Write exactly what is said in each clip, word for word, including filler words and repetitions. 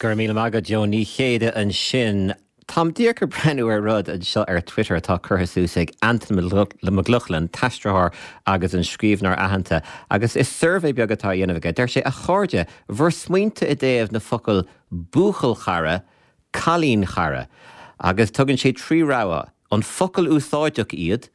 Go raibh míle maith agat Joan Ní Chéide ansin. Táim díreach ag breathnú ar rud anseo ar Twitter atá curtha suas ag Antain Mac Lochlainn aistritheoir agus an scríbhneoir aitheanta, agus is suirbhé beag atá á dhéanamh aige. Deir sé a chairde bhur smaointe i dtaobh na focail buachaill-chara, cailín-chara, agus tugann sé trí rogha an focal úsáideach iad,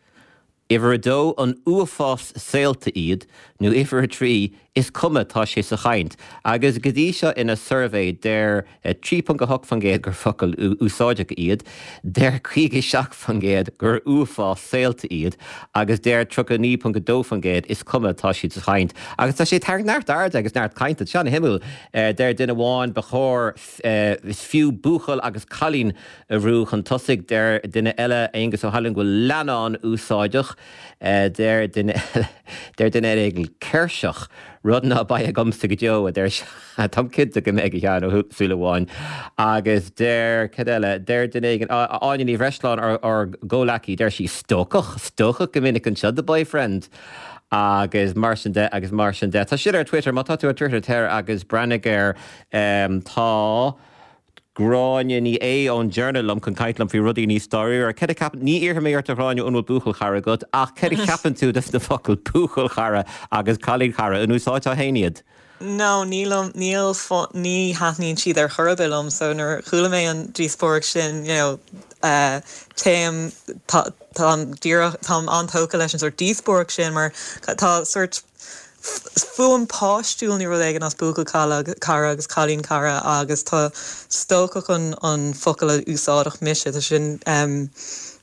Uimhir a dó an uafás saolta iad nó uimhir a trí is cuma tá sé sa chaint, agus go dtí seo ina suirbhé deir trí ponc a hocht faoin gcéad gur focail úsáideach iad, deir caoga seacht faoin gcéad gur uafás saolta iad, agus deir tríocha naoi ponc a dó faoin gcéad is cuma tá siad sa chaint. Agus tá sé tar neart airde agus neart cainte an-shuimiúil deir duine amháin ba chóir is fiú buachaill agus cailín a bhrú chun tosaigh deir duine eile Aengus Ó hAilín go bhfuil leannán úsáideach deir duine deir duine eile céirseach rud ná beidh agamsa go deo a deir Tá cinnte go mbeidh a Sheáin Ó Súilleabháin agus deir cad eile deir duine éigin Áine Ní Bhreisleáin ár gcomhleacaí deir sí stócach stócach go minic anseo the boyfriend. agus mar sin de agus mar sin de. Tá sin ar Twitter má tá tú ar Twitter ter agus breathnaigh air um, tá Gráinne Ní Aodha ón Journal liom chun caint liom faoi rudaí níos dáiríre. Cad a cheapann ní iarrfaidh mé ort a Ghráinne an bhfuil buachaill-chara agat ach cad a cheapann tú des na focail buachaill-chara agus cailín-chara an úsáidfeá féin iad. No, níl níl ní thaitníonn siad ar chor ar bith liom, so nuair chuala mé an díospóireacht sin you know, uh, téim tá tá an-tógtha leis an sort díospóireacht sin mar tá sort fuaim páistiúil ní rud éigin as buachaill cara agus cailín cara agus tá stócach an an focal a úsáidfeadh mise tá sin um,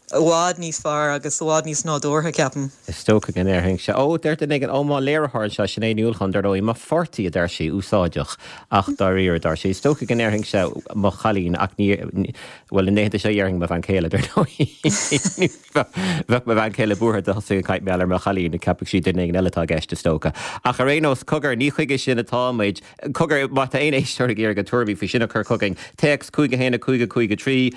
i bhfad níos fearr agus i bhfad níos nádúrtha ceapaim. Is stócach an déarfainn se ó deir duine éigin ó mo léiritheoir anseo sin é Uachán dar ndóigh mo pháirtí a deir sé úsáideach ach dáiríre dar sé stócach an déarfainn se mo chailín ach ní bhfuil an éanta seo dhéarfainn mo bhean chéile dar ndóigh. Bheadh mo bhean chéile buartha dá dtosóinn ag caint mar ar mo chailín ceapfaidh sí duine éigin eile atá i gceist is dócha. Ach ar aon nós cogar ní chuige sin atá muid cogar má tá aon éisteoir ag iarraidh tuairimí faoi sin a chur chugainn téacs cúig a haon a cúig a cúig a trí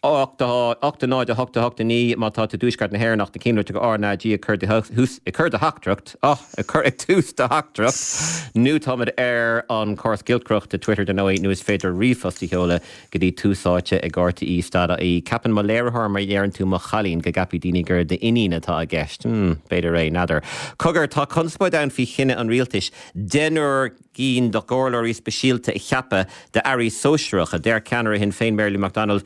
ocht ocht a náid a hocht a hocht a naoi má tá tú i dtuaisceart na hÉireann ach na cinn go RnaG ag cur ag cur do theachtaireacht ag cur ag tús do theachtaireacht nó táimid ar an córas giolcaireachta Twitter dar ndóigh nó is féidir ríomhphost a sheoladh go dtí Tús Áite ag RTÉ stad í. Ceapann mo léiritheoir má dheireann tú mo chailín go gceapfaidh daoine gur d'iníon atá i gceist. Hmm, b'fhéidir é n'fheadar. Cogar tá conspóid ann faoi chinneadh an rialtais deichniúr gcinn de chomhairleoirí speisialta a cheapadh d'airí sóisearacha deir ceannaire Shinn Féin Mary Lou McDonald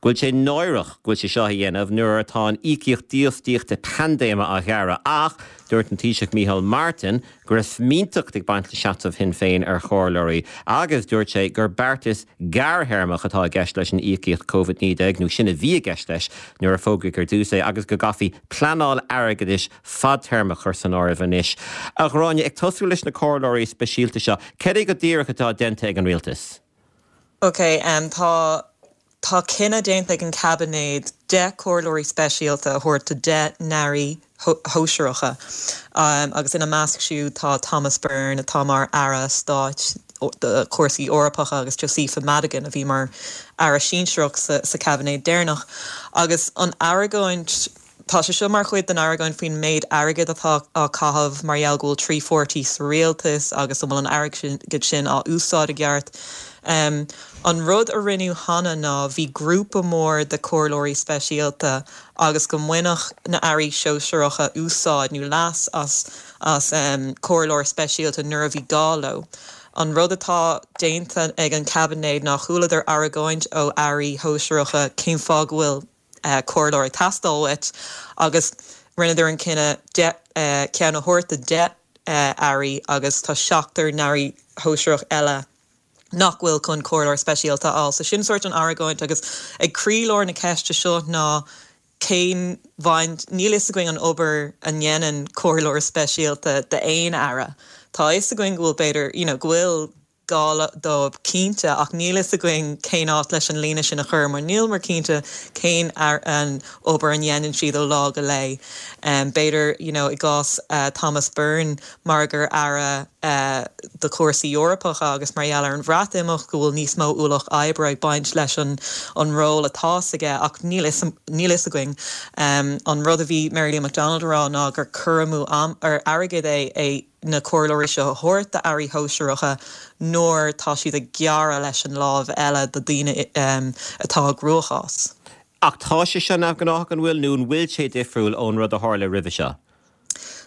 go bhfuil sé náireach go bhfuil sé seo a dhéanamh nuair atá an íocaíocht dífhostaíochta paindéime á ghearradh ach dúirt an Taoiseach Micheál Martin go raibh fimínteacht ag baint le seasamh Shinn Féin ar chomhairleoirí agus dúirt sé gur beartas gearrthéarmach atá i gceist leis an íocaíocht COVID naoi déag nó sin a bhí i gceist leis nuair a fógraíodh ar dtús é agus go gcaithfí pleanáil airgeadais fadtéarmach chur san áireamh anois. A Ghráinne ag tosú leis na comhairleoirí speisialta seo, cad é go díreach atá déanta ag an rialtas. Ok, um, tá Tá cinneadh déanta ag an caibinéad deich comhairleoirí speisialta a thabhairt do deich n-airí shóisearacha um, agus ina measc siúd tá Thomas Byrne atá mar aire stáit do chúrsaí Eorpacha agus Josepha Madigan a bhí mar aire sinsearach sa, sa caibinéad deireanach agus an argóint Tá sé seo mar chuid den argóint faoin méid airgid atá á chaitheamh mar gheall go bhfuil trí pháirtí sa rialtas agus an bhfuil an airgead sin á úsáid i gceart. Um, an rud a rinneadh cheana ná bhí grúpa mór de chomhairleoirí speisialta agus go mbainfeadh na hairí sóisearacha úsáid nó leas as as um, comhairleoir speisialta nuair a bhí gá leo. An rud atá déanta ag an caibinéad ná chualadar argóint ó airí shóisearacha cén fáth go bhfuil uh, comhairleoir ag teastáil uait agus rinneadar an cinneadh deich uh, ceann a thabhairt do deich uh, airí agus tá seachtar airí shóisearach eile nach bhfuil chun comhairleoir speisialta á. So sin sort an argóint agus ag croílár na ceiste seo ná cén bhaint níl a fhios againn an obair a dhéanann comhairleoir speisialta d'aon aire. Tá a fhios againn go bhfuil b'fhéidir you know, go bhfuil gá dóibh cinnte ach níl a fhios againn cén áit leis an líne sin a chur mar níl mar cinnte cén ar an obair a dhéanann siad ó lá go lá. Um, B'fhéidir you know, i gcás uh, Thomas Byrne mar gur aire uh, do chúrsaí Eorpacha agus mar gheall ar an Bhreatimeacht go bhfuil níos mó ualach oibre ag baint leis an an ról atá aige ach níl a fhios againn. Um, an rud a bhí Mary Lou McDonald rá ná gur cur amú am ar airgead é é na comhairleoirí seo a thabhairt d'airí shóisearacha nuair tá siad ag gearradh leis an lámh eile do daoine atá i gcruachás. Ach tá sé seo neamhghnách an bhfuil nó an bhfuil sé difriúil ón rud a tharla roimhe seo?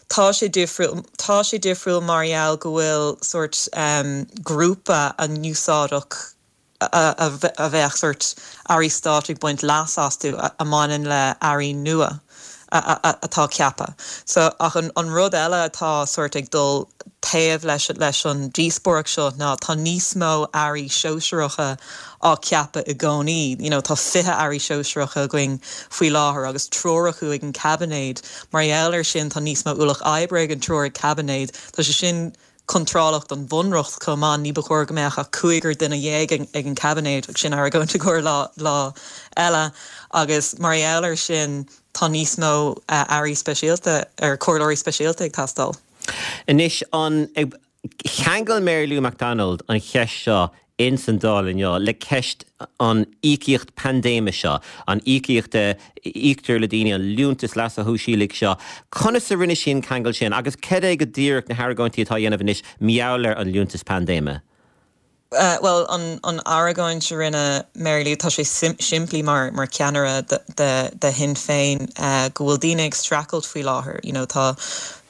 Tá sé difriúil tá sé difriúil mar gheall go bhfuil sórt um, grúpa a n-úsáideach a, a bheadh sórt airí stáit ag baint leas astu a, a mbaineann le airí nua atá ceaptha. So ach an, an rud eile atá sórt ag dul taobh leis leis an díospóireacht seo ná tá níos mó airí sóisearacha á ceapadh i gcónaí. You know, tá fiche airí sóisearacha againn faoi láthair agus triúr acu ag an caibinéad. Mar gheall air sin tá níos mó ualach oibre ag an triúr ag caibinéad. Tá sé sin contrálach don bhunreacht chomh maith ní ba chóir go mbeadh ach cúigear duine dhéag ag an caibinéad ach sin argóint i gcomhair lá lá eile agus mar gheall air sin tá níos mó uh, airí speisialta ar comhairleoirí speisialta ag teastáil. Anois an cheangail Mary Lou McDonald an cheist seo in san Dáil inniu le ceist an íocaíocht paindéime seo, an íocaíocht a íoctar le daoine an liúntas leasa shóisialaigh seo. Conas a rinne sí an ceangal sin agus cad é go díreach na hargóintí atá dhéanamh anois mar gheall ar an liúntas paindéime. Uh, well an an argóint a rinne Mary Lou tá sé sim simplí mar mar ceannaire de, de, de Shinn Féin uh, go bhfuil daoine ag streachailt faoi láthair. You know, tá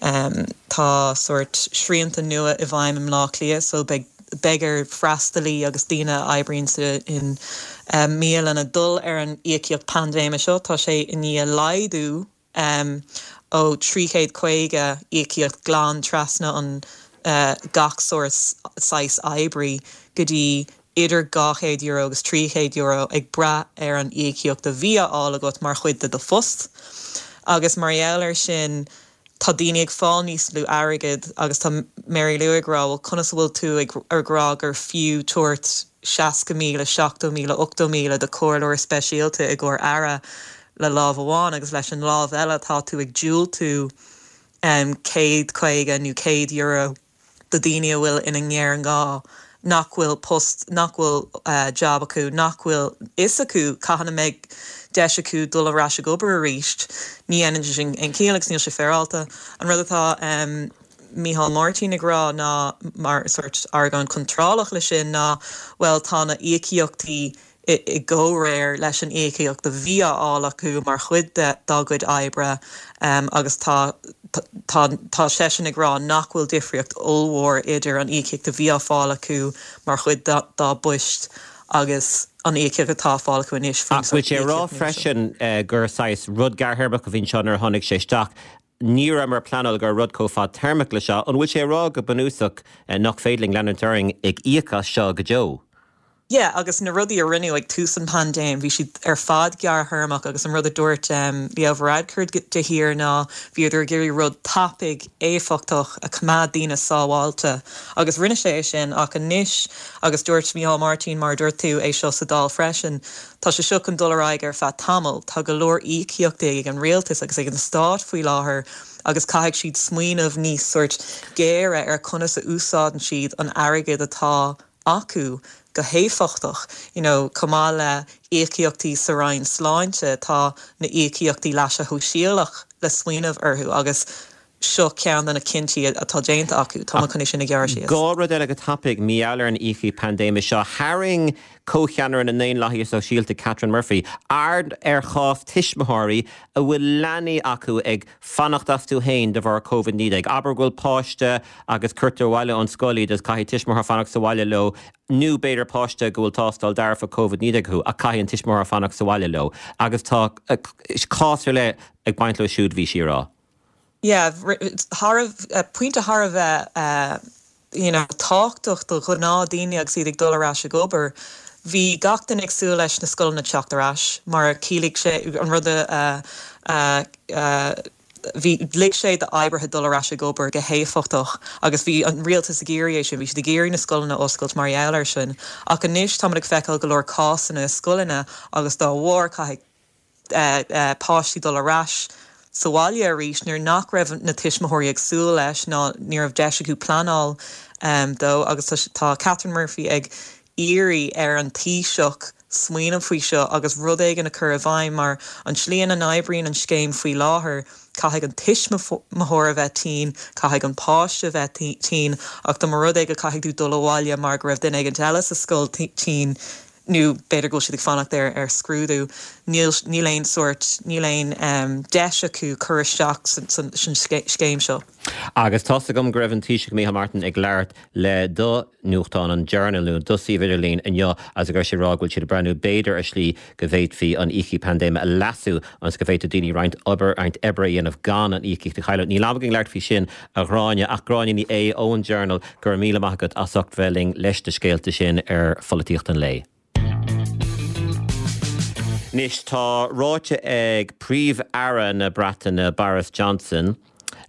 um, tá sórt srianta nua i bhfeidhm i mBleá Cliath, so beidh beidh ar freastalaí agus daoine oibríonn sa in um, mbialanna dul ar an íocaíocht paindéime seo tá sé i ndiaidh laghdú um, ó trí chéad caoga íocaíocht glan trasna an uh, gach sórt saghas oibrí go dtí idir dhá chéad euro agus trí chéad euro ag brath ar an íocaíocht a bhí á fháil agat mar chuid de do phost. Agus mar gheall air sin tá daoine ag fáil níos lú airgid agus tá Mary Lou ag rá conas bhfuil tú ag ar rá gur fiú tabhairt seasca míle seachtó míle ochtó míle do chomhairleoir speisialta i gcomhair aire le lámh amháin agus leis an lámh eile tá tú ag diúltú um, céad caoga nó céad euro do daoine a bhfuil ina ngéarghá nach bhfuil post nach bhfuil uh, job acu nach bhfuil fhios acu cathain a mbeidh deis acu dul ar ais ag obair arís ní dhéanann sin aon chiall agus níl sé féaráilte an rud atá um, Micheál Martin ag rá ná mar sórt argóint contrálach le sin ná well tá na íocaíochtaí i gcomhréir leis an íocaíocht a bhí á fháil acu mar chuid de dá gcuid oibre um, agus tá tá tá seisean ag rá nach bhfuil difríocht ollmhór idir an íocaíocht a bhí á fáil acu mar chuid dá bpoist agus an íocaíocht atá á fáil acu anois. Bhfuil sé rá freisin uh, gur saghas rud gearrthéarmach a bhí anseo nuair a tháinig sé isteach. Ní mar pleanáil gur rud chomh fadtéarmach le seo, an bhfuil sé rá go bunúsach uh, nach féidir linn leanúint orainn ag íoc as seo go deo. Yeah, agus na rudaí a rinneadh ag tús an paindéim, bhí siad ar fad gearrthéarmach agus an rud a dúirt um, Leo Varadkar de shíor ná bhíodar ag iarraidh rud tapaidh éifeachtach a choimeád daoine sábháilte. agus rinne sé sin ach anois agus dúirt Micheál Martin mar dúirt tú é seo sa Dáil freisin. Tá sé seo chun dul ar aghaidh ar feadh tamaill, Tá go leor íocaíochtaí ag an rialtas agus ag an stát faoi láthair agus caithfidh siad smaoineamh níos sórt géire ar conas a úsáideann siad an airgead atá acu go héifeachtach you know, chomh maith le íocaíochtaí sa Roinn Sláinte tá na íocaíochtaí leasa shóisialach le smaoineamh orthu agus seo ceann de na cinntí atá déanta acu tá chun sin a ghearradh síos. Dhá rud eile go tapaidh mar gheall ar an íocaíocht paindéime seo tharraing comhcheannaire na nDaonlathaithe Sóisialta Catherine Murphy, aird ar chás tuismitheoirí a bhfuil leanaí acu ag fanacht astu féin de bharr Covid naoi déag. Abair go bhfuil páiste agus cuirtear abhaile ón scoil iad is caithfidh tuismitheoir fanacht sa bhaile leo, nó b'fhéidir páiste go bhfuil tástáil dearfach Covid naoi déag acu a caithfidh an tuismitheoir fanacht sa bhaile leo, agus tá cás ar leith ag baint leo siúd bhí sí ag rá. Yeah, thar pointe thar a bheith uh, you know, tábhachtach do ghnáthdaoine agus iad ag dul ar ais ag obair. Bhí gach duine ag súil leis na scoileanna teacht ar ais, mar chiallaigh sé an rud uh, uh, uh, bhí lig sé d'oibrithe dul ar ais ag obair go héifeachtach agus bhí an rialtas ag iarraidh sin, bhí siad ag iarraidh na scoileanna oscailt mar gheall air sin. Ach anois tá ag feiceáil go leor cásanna scoileanna agus dá bharr caithfidh uh, uh, páistí dul ar ais sa bhaile arís nuair nach raibh na tuismitheoirí ag súil leis ná ní raibh deis acu pleanáil um, dó agus tá Catherine Murphy ag iarraidh ar an Taoiseach smaoineamh faoi seo agus rud éigin a chur i bhfeidhm mar an tslí a n-oibríonn an scéim faoi láthair Caithfidh an tuismitheoir a bheith tinn, caithfidh an páiste a bheith tinn, ach dá mba rud é go caithfidh tú dul abhaile mar go raibh duine éigin eile sa scoil tinn, nó b'fhéidir go bhfuil siad ag fanacht ar ar scrúdú, níl níl aon sórt, níl aon um, deis acu cur isteach san, san, san scéim seo. Agus tá's agam go raibh an Taoiseach Micheál Martin ag labhairt le do nuachtán an Journal nó do suíomh idirlín inniu agus go raibh sé ag rá go bhfuil siad ag breathnú b'fhéidir ar shlí go bhféadfaí an íocaíocht paindéime a leasú ionas go bhféadfadh daoine roinnt obair roinnt oibre a dhéanamh gan an íocaíocht a chailleadh. Níl am againn labhairt faoi sin a Ghráinne ach Gráinne Ní Aodha ón Journal go raibh míle maith agat as ucht bheith linn leis na scéalta sin ar pholaitíocht an lae. Anois tá ráite ag Príomh-Aire na Breataine Boris Johnson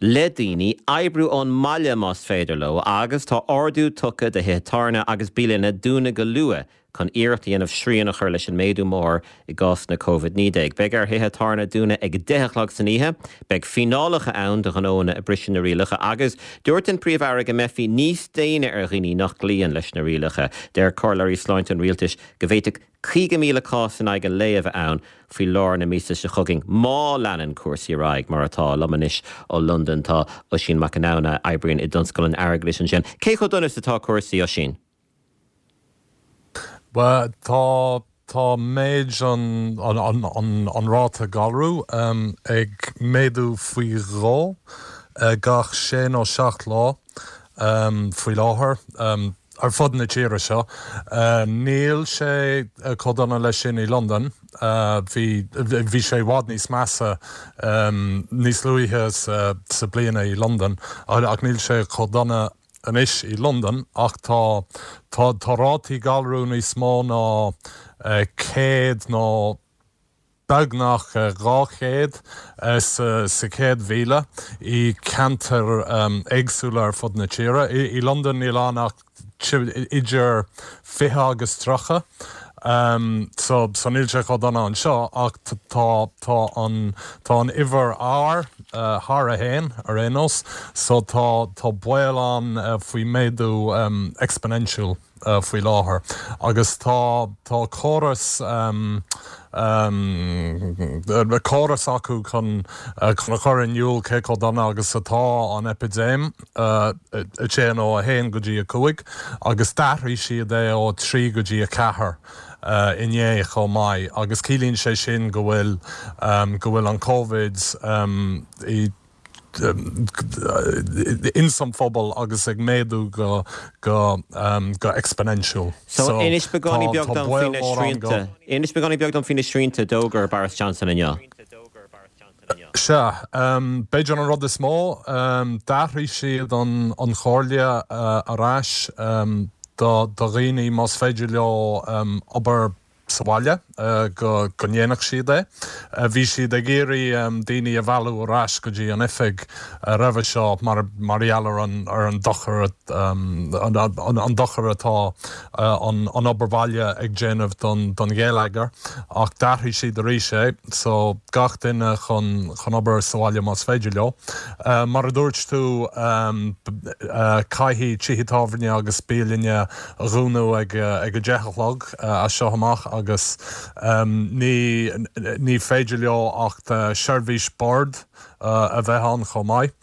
le daoine oibriú ón mbaile más féidir leo agus tá ordú tugtha do thithe tábhairne agus bialanna dúnadh go luath chun iarracht a dhéanamh srian a chur leis an méadú mór i gcásanna Covid naoi déag. Beidh ar thithe tábhairne dúnadh ag a deich a chlog san oíche, beidh fíneálacha ann do ghnóanna a briseann na rialacha agus dúirt an Príomh-Aire go mbeifí níos déine ar dhaoine nach gcloíonn leis na rialacha. Deir comhairleoirí sláinte an rialtais go bhféadfadh caoga míle cás in aghaidh an lae a bheith ann faoi lár na míosa seo chugainn má leanann cúrsaí ar aghaidh mar atá. Liom anois ó Londain tá Oisín Mac Con a oibríonn i dtionscal an airgeadais ansin. Cé chomh dona is atá cúrsaí Oisín? Well, tá tá méid an, an, an, an, an ráta galrú um, ag méadú faoi dhó uh, gach sé nó seacht lá um, faoi láthair. Um, ar fud na tíre seo. Uh, níl sé uh, chomh dona leis sin i Londain. Uh, bhí bhí sé i bhfad níos measa um, níos luaithe sa, sa bliana i Londain, ach níl sé chomh dona anois i Londain ach tá tá tá rátaí galrú níos mó ná uh, céad nó beagnach dhá chéad sa sa chéad mhíle i ceantair um, éagsúla ar fud na tíre. I, i Londain níl ann ach idir fiche agus tríocha. Um, so, so níl sé chomh dona anseo ach tá tá an tá an uimhir R uh, thar a haon ar aon nós, so tá tá baol ann uh, faoi méadú um, exponential uh, faoi láthair. Agus tá tá córas um, um, córas acu chun uh, chun a chur in iúl cé chomh dona agus atá an epidéim uh, a téann ó a haon go dtí a cúig, agus d'athraigh siad é ó trí go dtí a ceathair. Uh, inné chomh maith agus ciallaíonn sé sin go bhfuil um, go bhfuil an COVID um, i in san phobal agus ag méadú go go um, go exponential. So inis beagáinín beag dom faoi na srianta. Inis beagáinín beag dom faoi na srianta a d'fhógair Boris Johnson inniu. Sea, um, b'fhéidir an rud is mó, um, d'athraigh siad an, an chomhairle uh, ar ais um, do, do dhaoine más féidir leo um, obair sa bhaile uh, go go ndéanfadh siad é. Uh, bhí siad ag iarraidh um, daoine a mhealladh ar ais go dtí an oifig uh, roimhe seo mar mar gheall ar an ar an dochar um, an, an, an dochar atá uh, an, an obair bhaile ag déanamh don, don gheilleagar ach d'athraigh siad arís é, so gach duine chun chun obair sa bhaile más féidir leo. Uh, mar a dúirt tú um, uh, caithfidh tithe tábhairne agus bialanna a dhúnadh ag, ag a deich a chlog uh, as seo amach agus um, ní, ní féidir leo ach uh, seirbhís boird uh, a bheith ann chomh maith.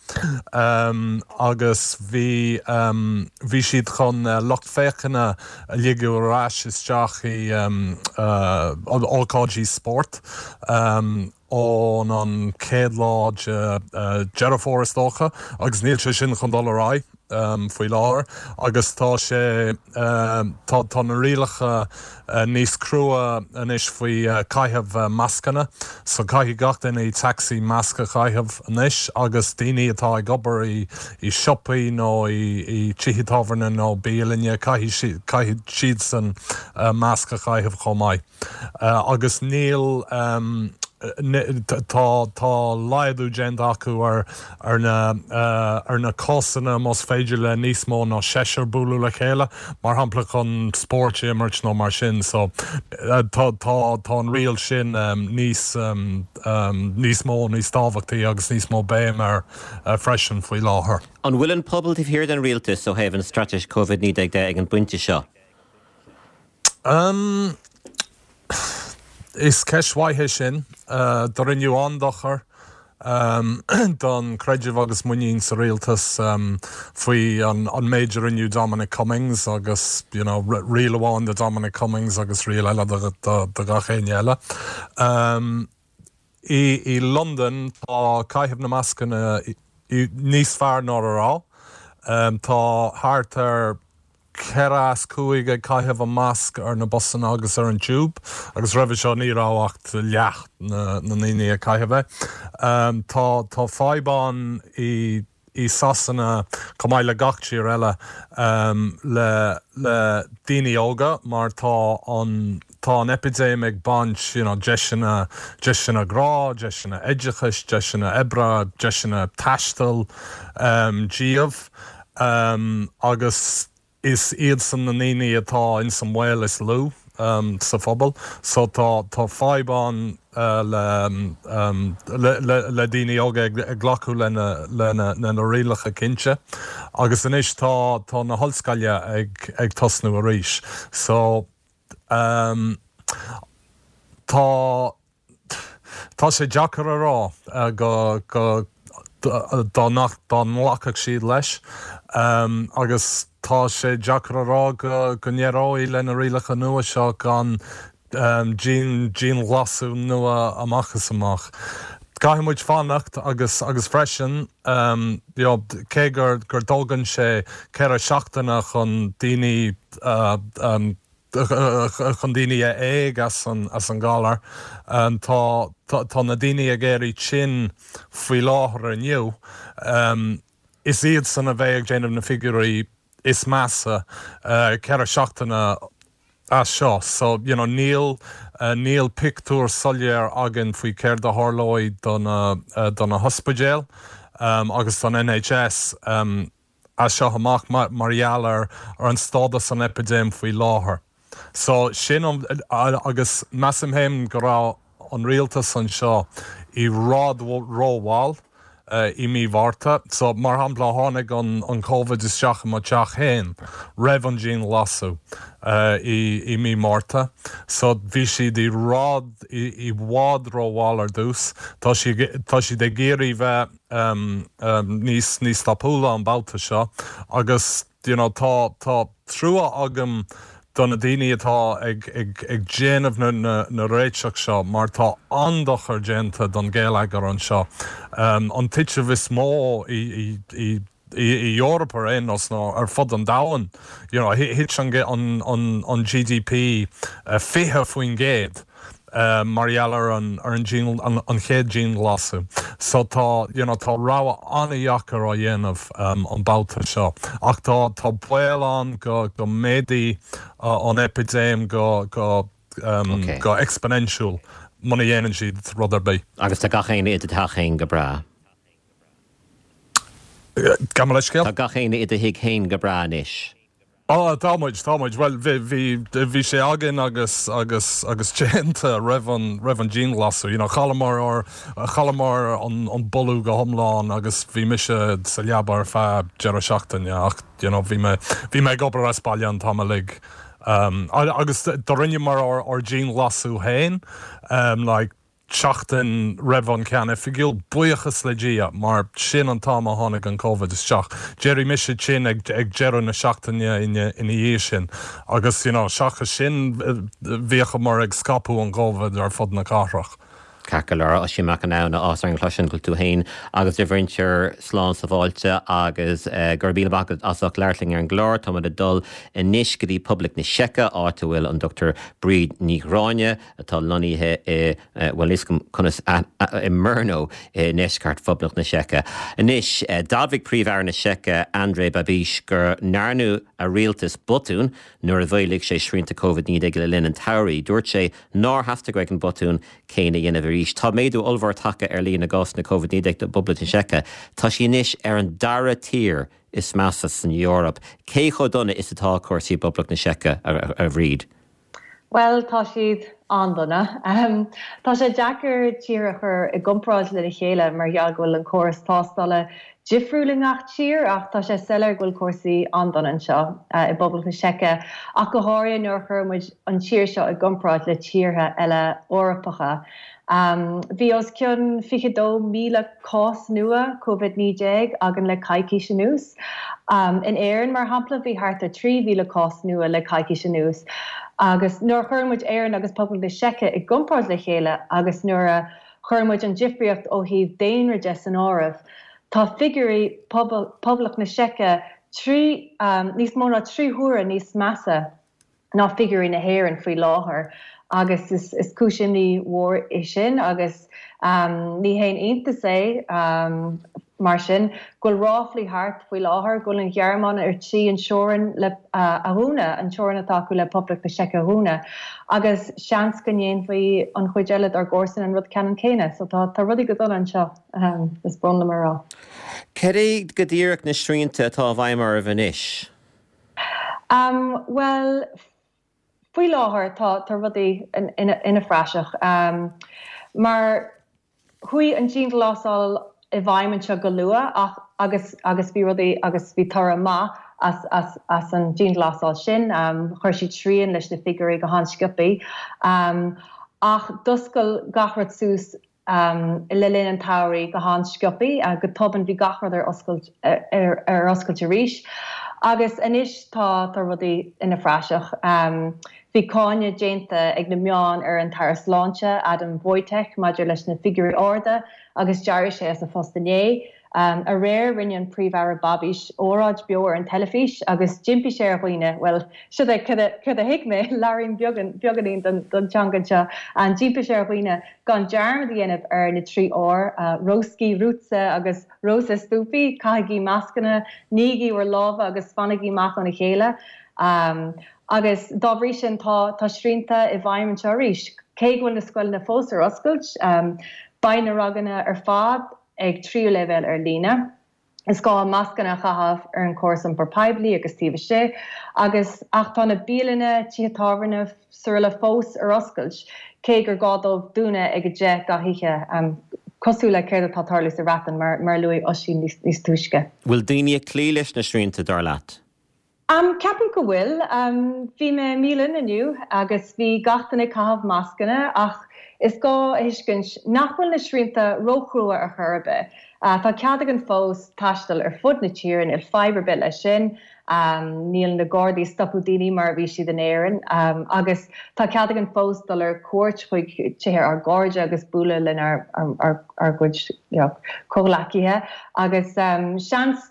Um, agus bhí um, bhí siad chun uh, lucht féachana a ligean ar ais isteach i um, uh, ócáidí spóirt. Um, ón an chéad lá de uh, Deireadh Fómhair is dócha agus níl sé sin chun dul ar aghaidh um, faoi láthair agus tá sé um, tá, tá na rialacha uh, níos crua anois faoi uh, caitheamh uh, mascanna, so caithfidh gach duine i taxi masc a chaitheamh anois agus daoine atá ag obair i, i siopaí nó i, i tithe tábhairne nó bialanna caithfidh caithfidh siadsan uh, masc a chaitheamh chomh maith. Uh, agus níl um, tá tá laghdú déanta acu ar ar na uh, ar na cásanna más féidir le níos mó ná seisear bualadh le chéile mar shampla chun spórt a imirt nó mar sin so uh, tá tá tá an riail sin um, níos um, um, níos mó níos tábhachtaí agus níos mó béim air uh, freisin faoi láthair. An bhfuil an pobal taobh thiar den rialtas ó thaobh an straitéis Covid naoi déag de ag an bpointe seo? Um, Is ceist mhaith é sin uh, do rinneadh an-dochar don creideamh agus muinín sa rialtas faoi an méid a rinne Dominic Cummings agus you know, riail amháin do Dominic Cummings agus riail eile do gach éinne eile. I, i Londain tá caitheamh na mascanna níos fearr ná a raibh. Tá thart ar ceithre as cúig ag caitheamh an masc ar na busanna agus ar an tube, agus roimhe seo ní raibh ach leath na ndaoine ag caitheamh é. Tá tá fadhb ann i i Sasana chomh maith le gach tír eile le le daoine óga mar tá an tá an eipidéim ag baint you know, deiseanna deiseanna grá, deiseanna oideachais, deiseanna oibre, deiseanna taistil um, díobh um, agus is iadsan na ndaoine atá in san bhaol is lú um, sa phobal, so tá tá fadhb ann uh, le, um, le, le, le daoine óga ag, ag glacadh lena lena na rialacha cinnte. Agus anois tá tá na hollscoile ag, ag tosnú arís. So um, tá tá sé deacair a rá uh, go go dá nach dá nglacfadh siad leis um, agus tá sé deacair a rá go go n-éireoidh le na rialacha nua seo gan um, dianghlasú nua amach is amach. Caithfidh muid fanacht agus agus freisin um, cé gur gur dtógann sé ceithre seachtaine chun daoine uh, um, chun daoine a éag as an as an galar um, tá tá, tá na daoine ag éirí tinn faoi láthair inniu um, is iad san a bheidh ag déanamh na figiúirí is measa uh, ceithre seachtaine as seo so you know, níl uh, níl pictiúr soiléir againn faoi céard a tharlóidh don uh, don na hospidéil um, agus don NHS um, as seo amach mar, mar gheall ar ar an stádas an eipidéim faoi láthair. So sin an, agus measaim féin go raibh an rialtas anseo i bhfad rómhall uh, i mí Mhárta, so mar shampla tháinig an, an COVID isteach i mo theach féin roimh an dianghlasú uh, i, i mí Márta. So bhí siad i bhfad i, i bhfad rómhall ar dtús, Tá tá siad ag iarraidh bheith um, um, níos níos tapúla an babhta seo agus you know, tá tá trua agam do na daoine atá ag, ag, ag déanamh na, na, na réiteach seo mar tá an-dochar déanta don gheilleagar anseo. Um, an titim is mó i, i, i i, i Eoraip ar aon nós nó ar fud an domhain. You know, thit an, an, an, an GDP uh, fiche faoin gcéad. Uh, mar gheall ar an ar an, an, an chéad dianghlasú. So tá you know, tá rogha an-deacair á dhéanamh um, an babhta seo. Ach tá tá baol ann go go méadóidh uh, an eipidéim go go um, okay. go exponential muna dhéanann siad rud ar bith. Agus tá gach éinne i do theach féin go breá. Gabh mo leithscéal? Tá gach éinne i do thigh féin go breá anois. Á tá muid tá muid well bhí bhí sé againn agus agus agus déanta roimh an roimh an dianghlasú you know, chailleamar ár chailleamar an an boladh go hiomlán agus bhí mise sa leaba ar feadh deireadh seachtaine ach you know, bhí mé bhí mé ag obair as baile an t-am uilig. Um, agus do rinneamar ár ár dianghlasú féin um, like, seachtain roimh an ceann oifigiúil buíochas le Dia mar sin an t-am a tháinig an COVID isteach. D'éirigh mise tinn ag ag deireadh na seachtaine ina ina dhiaidh sin agus you know, seachas sin bhíomar ag scaipeadh an COVID ar fud na cathrach. Ceart go leor Oisín Mac an áthas orainn cloisint go bhfuil tú féin agus do mhuintir slán sábháilte agus uh, gur bí as ach leirling ar an glór tá ag dul anois go dtí Poblacht na Seice áit a bhfuil an Dr. Bríd Ní Ghráinne atá lonnaithe i bhfuil conas i Brno i ndeisceart Phoblacht na Seice. Anois d'admhaigh Príomh-Aire na Seice Andrej Babiš go ndearna a rialtas botún nuair a mhaolaigh sé srianta COVID naoi déag le linn an tsamhraidh. Dúirt sé nár theastaigh uaidh an botún céanna a dhéanamh arís. Tá méadú ollmhór tagtha ar líon na gcásanna COVID naoi déag i bPoblacht na Seice. Tá sí anois ar an dara tír is measa san Eoraip. Cé chomh dona is atá cúrsaí i bPoblacht na Seice a, a, a Bhríd? Well tá siad An-dona. Tá sé deacair tír a chur i gcomparáid lena chéile mar gheall go bhfuil an córas tástála difriúil i ngach tír ach tá sé soiléir go bhfuil cúrsaí an-dona anseo i bPoblacht na Seice, ach go háirithe nuair a chuireann muid an tír seo i gcomparáid le tíortha eile Eorpacha. Bhí os cionn fiche dó míle cás nua Covid naoi déag againn le coicís anuas. In Éirinn, mar shampla, bhí thart ar trí mhíle cás nua le coicís anuas. Agus nuair a chuireann muid Éirinn agus Poblacht na Seice i gcomparáid le chéile agus nuair a chuireann muid an difríocht ó thaobh daonra de san áireamh, tá figiúirí Poblacht na Seice trí, níos mó ná trí huaire níos measa ná figiúirí na hÉireann faoi láthair agus is cúis imní mhór é sin agus ní haon iontas é mar sin go bhfuil ráflaí thart faoi láthair go bhfuil an Ghearmáin ar tí an teorainn le a dhúnadh, an teorainn atá acu le Poblacht na Seice a dhúnadh agus seans go ndéanfaidh an chuid eile dár gcomharsain an rud ceannann céanna. So tá tá rudaí go dona anseo, is brón liom a rá. Cad é go díreach na srianta atá i bhfeidhm oraibh anois? Bhuel, faoi láthair tá tá rudaí ina phraiseach. Mar chuaigh an dianghlasáil i bhfeidhm anseo go luath ach agus agus bhí rudaí agus bhí toradh maith as as as an dianghlasáil sin. Chuir siad srian leis na figiúirí go han-sciobtha. Ach d'oscail gach rud suas le linn an tsamhraidh go han-sciobtha, go tobann bhí gach rud ar oscailt ar oscailt arís agus anois tá tá rudaí ina phraiseach. Bhí cáineadh déanta ag na meáin ar an tAire Sláinte, Adam Vojtěch, maidir leis na figiúirí arda agus d'éirigh sé as a phost inné. Aréir rinne an Príomh-Aire Babiš óráid beo ar an teilifís agus d'impigh sé ar dhaoine, bhuel, seo é céard a thuig mé, labhraím beagáinín den teanga seo, d'impigh sé ar dhaoine gan dearmad a dhéanamh ar na trí R, roušky, ruce agus rozestupy, caithigí mascanna, nígí bhur lámha agus fanaigí amach óna chéile. Agus dá bhrí sin tá tá srianta i bhfeidhm anseo arís. Cé go bhfuil na scoileanna fós ar oscailt, beidh na ranganna ar fad ag tríú leibhéal ar líne. Is gá mascanna a chaitheamh ar an gcóras iompair poiblí agus taobh istigh, agus ach tá na bialanna, tithe tábhairne srl. fós ar oscailt, cé gur gá dóibh dúnadh ag a deich gach oíche, cosúil le céard atá ag tarlú sa Bhreatain, mar a luaigh Oisín níos túisce. Bhfuil daoine ag cloí leis na srianta, dar leat? Ceapaim go bhfuil. Bhí mé i mbialann inniu agus bhí gach duine ag caitheamh mascanna ach is gá a thuiscint nach bhfuil na srianta róchrua ar chor ar bith. Tá cead againn fós taisteal ar fud na tíre, níl fadhb ar bith leis sin. Níl na Gardaí ag stopadh daoine mar a bhí siad in Éirinn agus tá cead againn fós dul ar cuairt chuig tithe ár gcairde agus bualadh lenár gcuid comhghleacaithe agus seans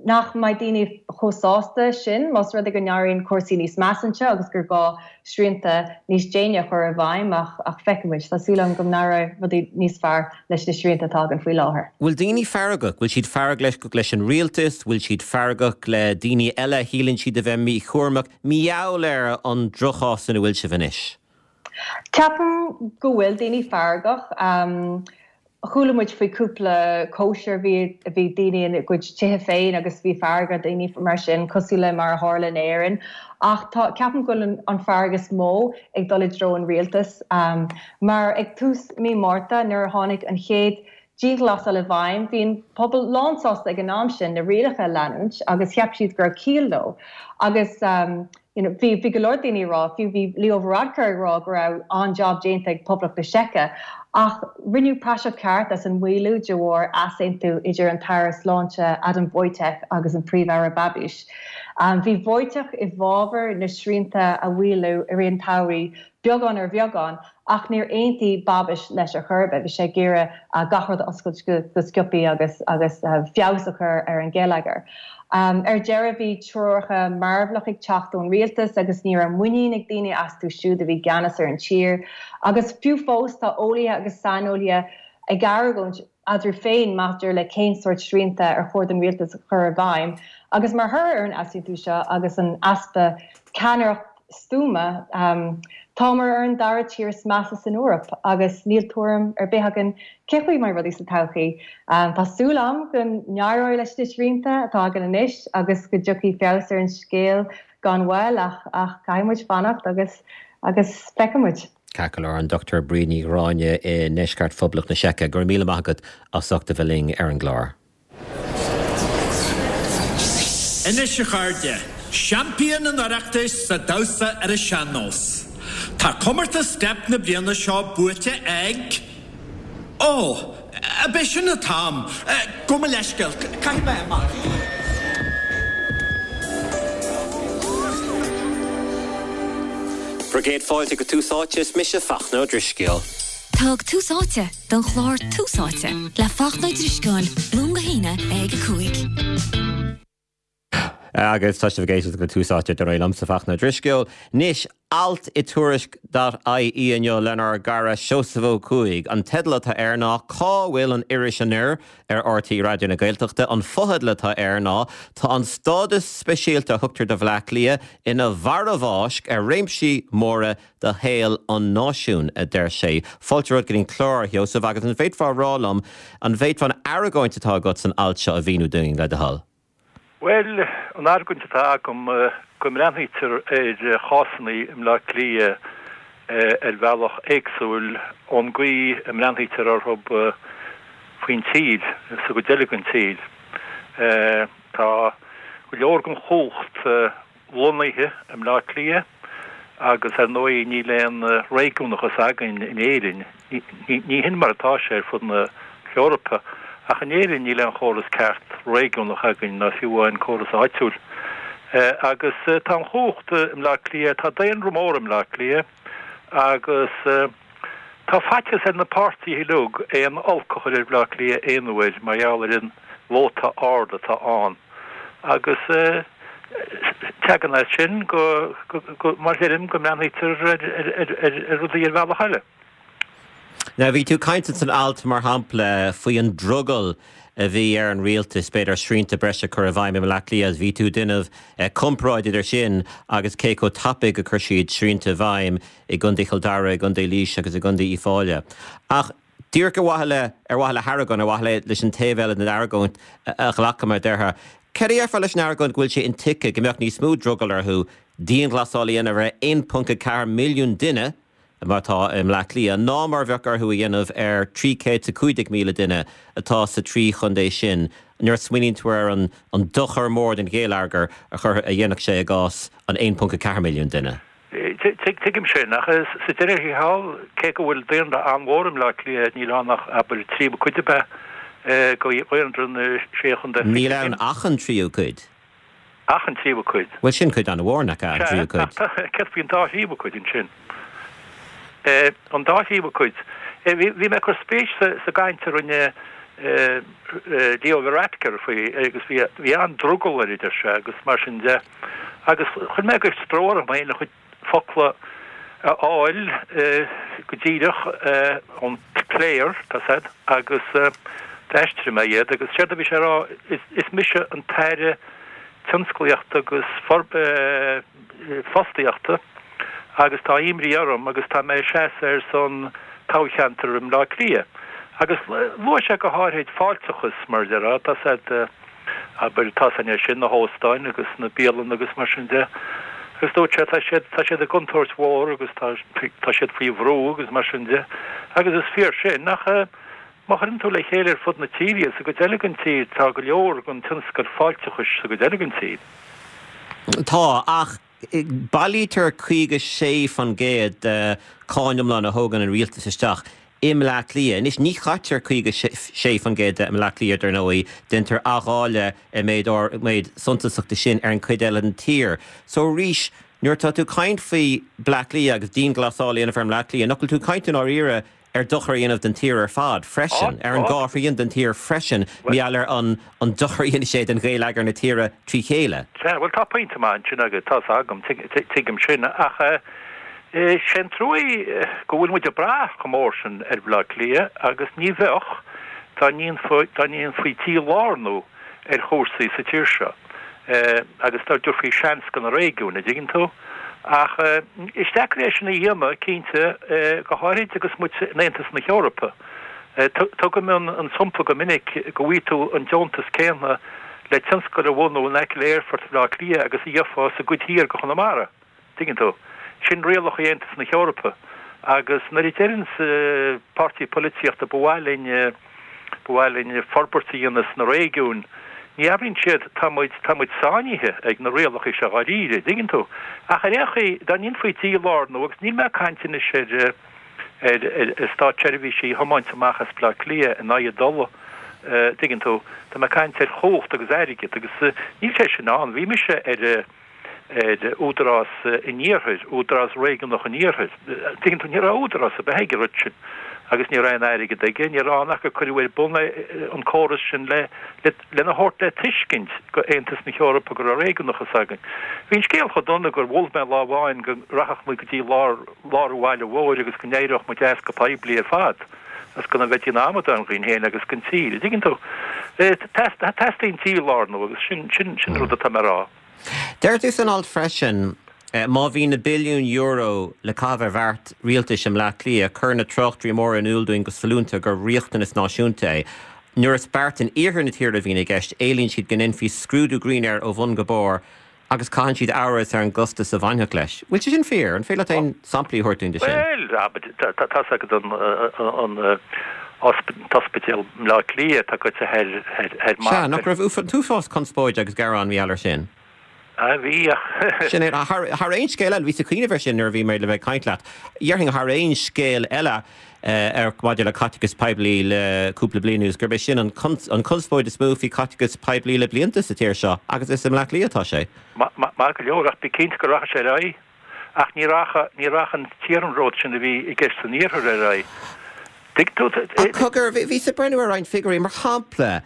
nach mbeidh daoine chomh sásta sin más rud é go n-éiríonn cúrsaí níos measa anseo agus gur gá srianta níos déine a chur i bhfeidhm ach ach feicfidh muid. Tá súil agam go n-éireoidh rudaí níos fearr leis na srianta atá againn faoi láthair. Bhfuil daoine feargach? Bhfuil siad feargach leis an rialtas? Bhfuil siad feargach le daoine eile a shíleann siad a bheith míchúramach? Mar gheall ar an drochchás ina bhfuil sibh anois? Ceapaim go bhfuil daoine feargach. Chuala muid faoi cúpla cóisir bhí bhí daoine ina gcuid tithe féin agus bhí fearg ar dhaoine mar sin, cosúil le mar a tharla in Éirinn. Ach tá, ceapaim go bhfuil an fearg is mó ag dul i dtreo an rialtais. Mar ag tús mí Márta nuair a tháinig an chéad dianghlasáil i bhfeidhm, bhí an pobal lánsásta ag an am sin na rialacha a leanúint agus cheap siad go raibh ciall leo. Agus you know, bhí bhí go leor daoine ag rá, fiú bhí Leo Varadkar ag rá go raibh an-jab déanta ag Poblacht na Seice, ach rinneadh praiseach ceart as an maolú de bharr easaontú idir an tAire Sláinte Adam Vojtěch agus an Príomh-Aire Babiš. Bhí Vojtěch i bhfabhar na srianta a mhaolú i rith an tsamhraidh beagán ar bheagán, ach níor aontaigh Babiš leis ar chor ar bith. Bhí sé ag iarraidh gach rud a oscailt go sciobtha agus agus feabhas a chur ar an gheilleagar. Ar deireadh bhí treoracha mearbhlach ag teacht ón rialtas agus ní raibh muinín ag daoine astu siúd a bhí i gceannas ar an tír. Agus fiú fós tá eolaithe agus saineolaithe ag argóint eatarthu féin maidir le cén sórt srianta ar chóir don rialtas a chur i bhfeidhm. Agus mar thoradh ar an easaontú seo agus an easpa ceannaireacht stuama, táimid ar an dara tír is measa san Eoraip agus níl tuairim ar bith againn cén chaoi a mbeidh rudaí sa todhchaí. Tá súil agam go n-éireoidh leis na srianta atá againn anois agus go dtiocfaidh feabhas ar an scéal gan mhoill ach ach caithfidh muid fanacht agus agus feicfidh muid. Ceart go leor, an Dochtúir Bríd Ní Ghráinne i ndeisceart Phoblacht na Seice, go raibh míle maith agat as ucht a bheith linn ar an gclár. Anois a chairde, seaimpín an Oireachtais sa damhsa ar an sean-nós. Tá comórtas Steip na bliana seo buaite ag. Ó, ab é sin an t-am? Gabh mo leithscéal, caithfidh mé imeacht. Bhur gcéad fáilte go Tús Áite, is mise Fachtna Ó Drisceoil. Thug Tús Áite don chlár Tús Áite le Fachtna Ó Drisceoil, Luan go hAoine ag a cúig. Agus tá sibh ag éisteacht go Tús Áite dar ndóigh liomsa Fachtna Ó Drisceoil. Anois, alt i Tuairisc dot ie inniu lenár gcara Seosamh Ó Cuaig. An teideal atá air ná Cá bhfuil an Iris Anoir ar RTÉ Raidió na Gaeltachta. An fotheideal atá air ná Tá an stádas speisialta a thugtar do Bhleá Cliath ina mharbhfháisc ar réimsí móra de shaol an náisiúin, a deir sé. Fáilte romhat go dtí an clár, a Sheosaimh, agus an bhféadfá a rá liom an bhféadfá an argóint atá agat san alt seo a mhíniú dúinn, le do thoil? Bhuel, an argóint atá agam, go mbreathnaítear ar chásanna i mBleá Cliath ar bhealach éagsúil ón gcaoi a mbreathnaítear orthu faoin tír, sa gcuid eile den tír. Tá go leor den chumhacht lonnaithe i mBleá Cliath agus ar ndóigh níl aon réigiúnachas againn in Éirinn. Ní hin mar atá sé ar fud na hEorpa, ach in Éirinn níl aon chóras ceart réigiúnach againn, ná fiú amháin córas áitiúil. Agus tá an chumhacht i mBleá Cliath, tá daonra mór i mBleá Cliath agus tá faitíos ar na páirtithe uilig aon olc a chur ar Bhleá Cliath aon uair mar gheall ar an vóta ard atá ann. Agus tagann as sin go, mar a deirim, go mbreathnaítear ar rudaí ar bhealach eile. Now bhí tú ag caint san alt, mar shampla, faoi an drogall a bhí ar an rialtas, b'fhéidir, srianta breise a chur i bhfeidhm i mBleá Cliath. Bhí tú ag déanamh comparáid idir sin agus cé chomh tapaidh a chuir siad srianta i bhfeidhm i gContae Chill Dara, i gContae Laoise agus i gContae Uíbh Fhailí. Ach díreach ar mhaithe le, ar mhaithe le hargóint, ar mhaithe leis an taobh eile den argóint a ghlacadh, mar a déarfá, céard a déarfá leis an argóint go bhfuil sé intuigthe go mbeadh níos mó drogall orthu dianghlasáil a dhéanamh ar aon ponc a ceathair milliún duine, mar atá i mBleá Cliath, ná mar a bheadh orthu a dhéanamh ar trí chéad is a cúig déag míle duine atá sa trí chontae sin, nuair a smaoiníonn tú ar an dochar mór don gheilleagar a dhéanfadh sé i gcás an aon ponc a ceathair milliún duine. Tuigim sin, ach sa deireadh thiar thall, cé go bhfuil daonra an-mhór i mBleá Cliath, níl ann ach, abair, tríú cuid ab ea de dhaonra na sé chontae fichead Níl ann ach an tríú cuid. Ach an tríú cuid. Bhuel, sin cuid an-mhór, nach ea, an tríú cuid? Sea, ach céard faoin dá thríú cuid ansin? An dá thríú cuid. Bhí mé ag cur spéis sa gcaint a rinne Leo Varadkar faoi agus bhí an-drogall air, a deir sé, agus mar sin de. Agus chuir mé go stró orm féin a chuid focla a fháil go díreach ón player, tá 's a'd, agus d'aistrigh mé iad agus séard a bhí sé a rá, is mise an tAire Tionsclaíochta agus Fostaíochta agus tá imní orm agus tá mé ag seasamh ar son toghcheantar i mBleá Cliath. Agus luaigh sé go háirid fáilteachas, mar a déarfá, tá 's a'd, abair, tá 's a'inn é sin, na hóstáin agus na bialanna agus mar sin de. Agus dúirt sé, tá siad, tá siad i gcontúirt mhór agus tá, tá siad faoi bhrú agus mar sin de. Agus is fíor sin, ach má chuireann tú le chéile ar fud na tíre iad, sa gcuid eile den tír, tá go leor den tionscal fáilteachais sa gcuid eile den tír. Tá, ach bailítear caoga sé faoin gcéad de cháin iomlán a thógann an rialtas isteach i mBleá Cliath. Anois, ní chaitear caoga sé faoin gcéad de i mBleá Cliath, dar ndóigh, déantar athdháileadh i méid méid suntasach de sin ar an chuid eile den tír. So arís, nuair atá tú ag caint faoi Bleá Cliath agus dianghlasáil a dhéanamh ar Bhleá Cliath, nach bhfuil tú ag caint i ndáiríre ar dochar a dhéanamh den tír ar fad freisin, ar an dhá thrian den tír freisin, mar gheall ar an an dochar a dhéanfaidh sé den gheilleagar na tíre trí chéile. Sea, bhuel tá pointe maith ansin agat, tá's agam, tuigim sin, ach sé an truaí go bhfuil muid ag brath chomh mór sin ar Bhleá Cliath agus ní bheadh dá ndéanfaí dí-lárnú ar chúrsaí sa tír seo agus dá dtabharfaí seans do na réigiúin, an dtuigeann tú? Ach is deacair é sin a dhéanamh, cinnte, go háirid agus muid in Aontas na hEorpa. Tugaim an sampla go minic go bhfaighidh tú an deontas céanna le tionscal a bhunú in aice le Aerfort Bhaile Átha Cliath agus a gheofá sa gcuid thiar de Chonamara. Tuigeann tú? Sin rialacha Aontas na hEorpa. Agus nuair a deireanns páirtí polaitíochta ba mhaith linn, ba mhaith linn forbairt a dhéanamh sna réigiúin, ní abraíonn siad tá muid, tá muid sáinnithe ag na rialacha seo dháiríre, dtuigeann tú. Ach ar aon chaoi, dá ndéanfaí dílárnú, agus níl mé ag caint anois ar, ar, ar státseirbhísigh a thiomáint amach as Bleá Cliath in aghaidh a dtola, dtuigeann tú, tá mé ag caint ar chumhacht agus airgead agus níl sé sin ann. Bhí mise ar, ar Údarás an Iarthair, Údarás Réigiúnach an Iarthair. Tuigeann tú, ní raibh údarás ar bith ag an rud sin agus ní raibh aon airgead aige, ní raibh ann ach gur cuireadh ar bun an córas sin le, le, lena thabhairt le tuiscint go Aontas na hEorpa go raibh réigiúnachas againn. Bhí an scéal chomh dona gur mhol mé lá amháin go rachadh muid go dtí lár, lár an bhaile mhóir agus go n-éireodh muid as go poiblí ar fad agus go mbeifí ina amadáin dhínn féin agus don tír. Tuigeann tú? Teastaíonn dílárnú agus sin, sin, sin rud atá mé a rá. Deir tú san alt freisin, má bhí na billiúin euro le caitheamh ar bheart rialtais i mBleá Cliath, cuireann na tráchtairí móra in iúl dúinn go sollúnta gur riachtanas náisiúnta é. Nuair is beart in iarthar na tíre a bhíonn i gceist, éilíonn siad go ndéanfaí scrúdú grinn air ó bhun go barr agus caitheann siad amhras ar an gcostas a bhainfeadh leis. Bhfuil sé sin fíor? An féidir leat aon samplaí a thabhairt dúinn de sin? Bhuel, tá's agat an t-ospidéal i mBleá Cliath atá goite thar Sea, mar. nach raibh an t-uafás conspóide agus gearán mar gheall air sin? Ah, bhí, ach. Sin é, thar aon scéal eile, bhíos ag cuimhneamh air sin nuair a bhí mé le bheith ag caint leat. Dhéarfainn thar aon scéal eile ar maidir le caiteachas poiblí le cúpla bliain anuas, gurb é sin an conspóid is mó faoi chaiteachas poiblí le blianta sa tír seo, agus is i mBleá Cliath atá sé. Maith go leor, ach bí cinnte go rachaidh sé ar aghaidh. Ach ní rachaidh, ní rachaidh an t-iarnród sin a bhí i gceist san iarthar ar aghaidh. Tuig tú? Ach cogar, bhíos ag breathnú ar roinnt figiúirí, mar shampla,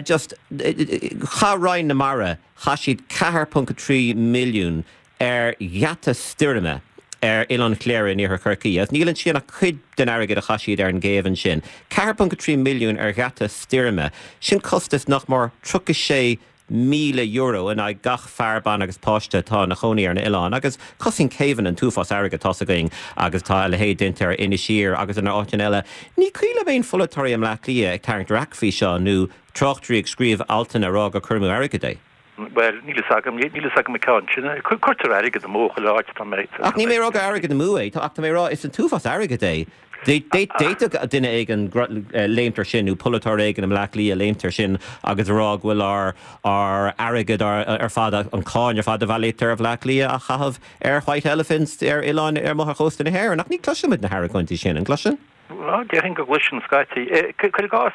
just, chaith Roinn na Mara, chaith siad ceathair ponc a trí milliún ar gheata stoirme ar Oileán Chléire in iarthar Chorcaí, agus níl ansin ach cuid den airgead a chaith siad ar an gcéibh ansin. ceathair ponc a trí milliún ar gheata stoirme, sin costas nach mór tríocha sé míle euro in aghaidh gach fear, bean agus páiste atá ina chónaí ar na oileáin agus cosnaíonn céibheanna an t-uafás airgid, tá's againn, agus tá a leithéid déanta ar Inis Oírr agus in áiteanna eile. Ní cuimhin liom aon pholaiteoirí i mBleá Cliath ag tarraingt raic faoi seo nó tráchtairí ag scríobh altanna ag rá gur cur amú airgid é. Bhuel, níl fhios agam, níl fhios agam an ceann sin. Cuirtear airgead amú chuile áit, tá mé. Ach níl mé ag rá gur airgead amú é, ach tá mé ag rá is an t-uafás airgid é. D'fhéadfadh duine éigin léimt air sin nó polaiteoir éigin i mBleá Cliath léimt air sin agus a rá go bhfuil ár ár airgead ar fad, an cáin ar fad a bhailítear i mBleá Cliath á chaitheamh ar white elephants ar oileáin ar amuigh ar chósta na hÉireann. Ach ní chloisimid na hargóintí sin, an gcloiseann? Bhuel, déarfainn go gcloiseann scaití. Cuir i gcás,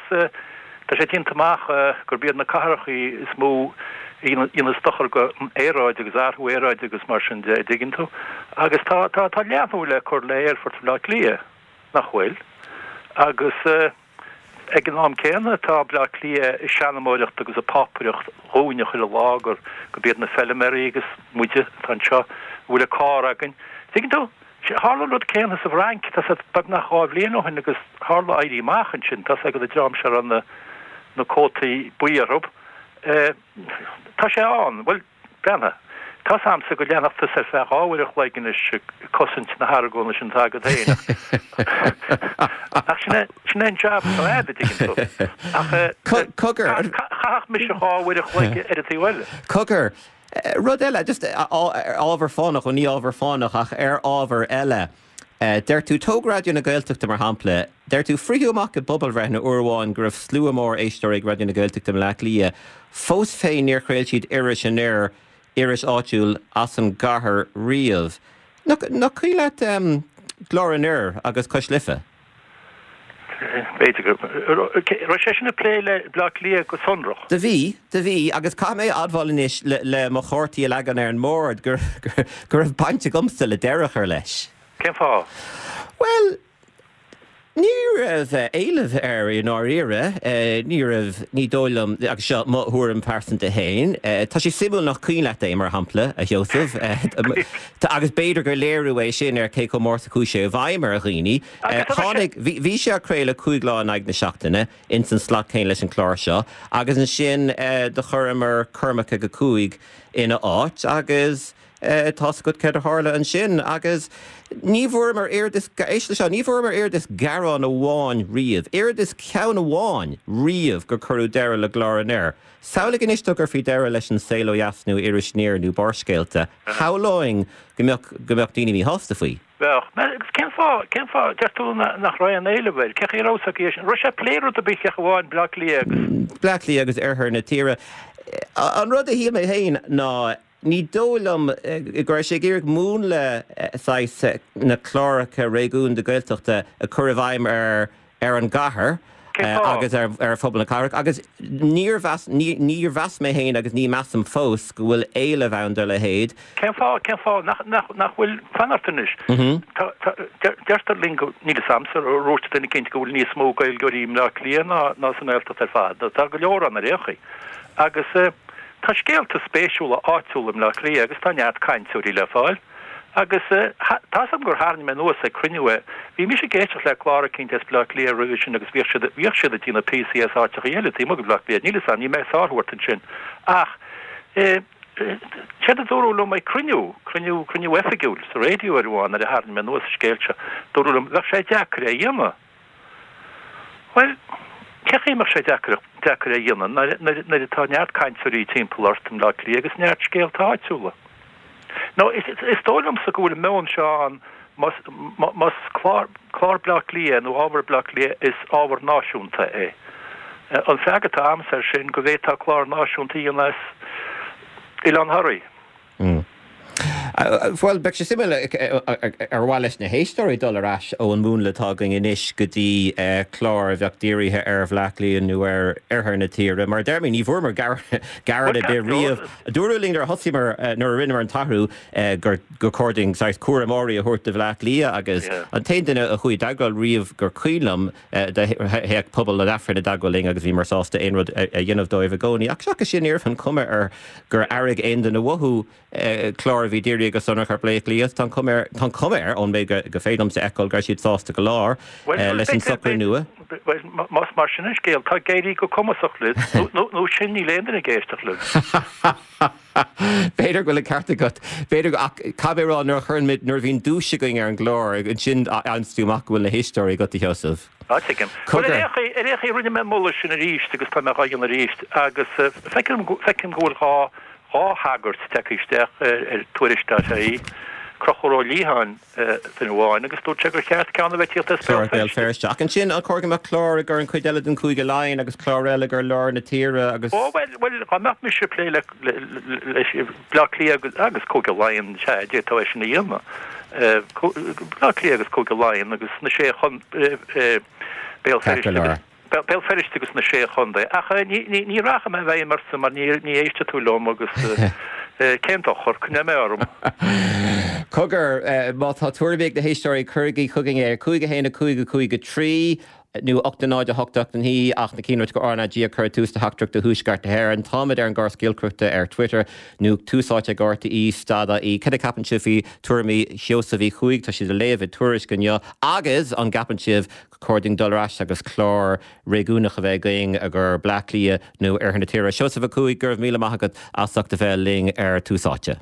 tá sé déanta amach gurb iad na cathrachaí is mó a dhéanas dochar don aeráid agus athrú aeráide agus mar sin de, a dtuigeann tú. Agus tá tá tá leathnú le cur le aerfort Bhaile Átha Cliath, nach bhfuil? Agus ag an am céanna tá Baile Átha Cliath ag seanmóireacht agus ag pápaireacht dhúinne chuile lá gur gurb iad na feilméaraí agus muide atá anseo a bhfuil an carr againn. Tuigeann tú? Tharla an rud céanna sa bhFrainc, tá sé beagnach dhá bhliain ó shin agus tharla éirí amach ansin, tá's agat an dream seo a raibh na na cótaí buí orthu. Tá sé ann. Bhuel, breathnaigh. Tá's a'msa go leanfadh tusa ar feadh dhá uair a chloig anois ag cosaint na hargóna sin atá agat féin ach sin é sin é an jab atá a'd, a dtuigeann tú. Ach Cogar. chaithfeadh mise dhá uair a chloig ar an taobh eile. Cogar. Rud eile, just ar ábhar fánach, bhuel ní ábhar fánach ach ar ábhar eile. Deir tú, tóg Raidió na Gaeltachta mar shampla, deir tú, fritheadh amach i bpobalbhreitheanna uair amháin go raibh slua mór éisteoirí ag Raidió na Gaeltachta i mBleá Cliath, fós féin níor chraol siad iris anoir, iris áitiúil as an gcathair riamh. Nach cuimhin leat Glór Anoir agus Cois Life? B'fhéidir go raibh sé sin ag plé le Bleá Cliath go sonrach. Do bhí, do bhí, agus caithfidh mé a admháil anois le mo chártaí a leagan ar an mbord go raibh baint agamsa le deireadh a chur leis. Cén fáth? Bhuel, ní raibh éileamh air i ndáiríre, ní raibh, ní dóigh liom, agus seo mo thuairim pearsanta féin, tá sé suimiúil nach cuimhin leat é, mar shampla, a Sheosaimh, agus b'fhéidir gur léiriú é sin ar cé chomh mór is a chuaigh sé i bhfeidhm ar dhaoine. Tháinig, bhí sé á chraoladh cúig lá in aghaidh na seachtaine, ins an slot céanna leis an chlár seo, agus ansin do chuireamar Cormac ag a cúig ina áit agus, Tá's agat céard a tharla ansin agus ní bhfuaireamar oiread is, éist leis seo, ní bhfuaireamar oiread is gearán amháin riamh, oiread is ceann amháin riamh gur cuireadh deireadh le Glór Anoir. Samhlaigh anois dá gcuirfí deireadh leis An Saol Ó Dheas nó Iris Aniar nó Barrscéalta, shamhlóinn go mbeadh, go mbeadh daoine míshásta faoi. Bheadh. Agus cén fáth, cén fáth, deir tú nach raibh aon éileamh air? Cén chaoi a raibh a fhios acu é sin? Raibh sé ag plé rud ar bith ach amháin Bleá Cliath agus. Bleá Cliath agus oirthear na tíre. An rud a shíl mé féin ná ní dóigh liom go raibh sé ag iarraidh múnla saghas na cláracha réigiúnda Gaeltachta a chur i bhfeidhm ar ar an gcathair agus ar phobal na cathrach agus níor mheas, níor mheas mé féin agus ní mheasaim fós go bhfuil éileamh ann dá leithéid. Cén fáth, cén fáth nach, nach, nach bhfuil, fan ort anois. Tá, tá, deirtear linn go, níl fhios a'msa, ar dhúirt duine eicínt go bhfuil níos mó Gaeilgeoirí i mBleá Cliath ná, ná sa nGaeltacht ar fad. Tá go leor ann ar aon chaoi. Agus tá scéalta spéisiúla áitiúla i mBleá Cliath agus tá neart cainteoirí le fáil. Agus tá fhios agam gur tharraing mé anuas ag cruinniú é. Bhí mise ag éisteacht le clár eicínt as Bleá Cliath roimhe sin agus bhíodh siad, bhíodh siad ag déanamh píosaí as áiteachaí eile taobh amuigh de Bhleá Cliath. Níl fhios agam, níl mé ag sárú ort ansin. Ach séard a dúradh liom ag cruinniú, cruinniú, cruinniú oifigiúil sa raidió uair amháin nuair a tharraing mé anuas an scéal seo, dúradh liom, bheadh sé deacair é a dhéanamh. Bhuel, cén chaoi a mbeadh sé deacair, deacair é a dhéanamh nuair, nuair, nuair atá neart cainteoirí timpeall ort i mBleá Cliath agus neart scéalta áitiúla? Nó is dóigh liomsa go bhfuil an meon seo ann, más, más clár, clár Bleá Cliath nó ábhar Bleá Cliath, is ábhar náisiúnta é. An freagra atá a'msa air sin go bhféadfá clár náisiúnta a dhéanamh as Oileán Thoraí. Bhuel, beidh sé suimiúil ar mhaith leis na héisteoirí dul ar ais ón múnla atá againn anois go dtí clár a bheadh dírithe ar Bhleá Cliath nó ar oirthear na tíre. Mar a deir mé, ní bhfuaireamar gearán ar bith riamh. Dúradh linn nuair a thosaíomar, nuair a rinneamar an t-athrú, gur gur chóir dúinn saghas cúramóirí a thabhairt do Bhleá Cliath agus an t-aon duine a chuaigh i dteagmháil riamh gur cuimhin liom, théadh pobal an Aifrinn i dteagmháil linn agus bhíomar sásta aon rud a dhéanamh dóibh i gcónaí. Ach seachas sin, ní raibh an chuma air gur airigh aon duine uathu clár a bhí dírithe go sonrach ar Bhleá Cliath. Tá an chuma air, tá an chuma air, ón méid go féidir liomsa a fheiceáil, go raibh siad sásta go leor leis an socrú nua. Bhuel, más mar sin an scéal, tá ag éirí go cumasach libh, nó sin níl aon duine ag éisteacht libh. B'fhéidir go bhfuil an ceart agat. B'fhéidir, ach caithfidh mé a rá, nuair a chuireann muid, nuair a bhíonn duais againn ar an gclár, ansin faigheann tú amach go bhfuil na héisteoirí agat, a Sheosaimh. Á, tuigim. Bhuel, ar aon chaoi, ar aon chaoi, rinne mé an moladh sin arís agus tá mé dhá dhéanamh arís agus feicim, feicim go bhfuil dhá, dhá thagairt tagtha isteach ar Tuairisc dot ie, Conchúr Ó Liatháin duine amháin agus dúirt sé gur cheart ceann a bheith ag tíocht as Béal Feirste. Feirste. Ach ansin, an chóir go mbeadh clár i gcomhair an chuid eile den Chúige Laighean agus clár eile i gcomhair lár na tíre agus. Ó, bhuel, bhuel, dá mbeadh mise ag plé le, le, le, Bleá Cliath agus, agus Cúige Laighean, sea, d'fhéadfá é sin a dhéanamh. Bleá Cliath agus Cúige Laighean agus na sé chon, Béal Feirste agus. Béal Feirste agus na Sé Chontae. Ach ní rachaidh mé i bhfeidhm ortsa mar ní éistfidh tú liom agus cén dochar, coinneoidh mé orm. Cogar, má tá tuairimí ag na héisteoirí, cuirigí chugainn é ar cúig a haon a cúig a cúig a trí nó ocht a náid a hocht ocht a naoi ach na cinnte go RnaG ag cur tús le teachtaireacht do Thuaisceart na hÉireann. Táimid ar an gcóras giolcaireachta ar Twitter nó tús áite ag RTÉ stad ie. Cad a cheapann sibh faoi tuairimí Sheosaimh Uí Chuaig? Tá siad á léamh i Tuairisc inniu agus an gceapann sibh chóir dúinn dul ar ais agus clár réigiúnach a bheith againn i gcomhair Bleá Cliath nó Oirthear na tíre. Seosamh Ó Cuaig, go raibh míle maith agat as ucht a bheith linn ar Tús Áite.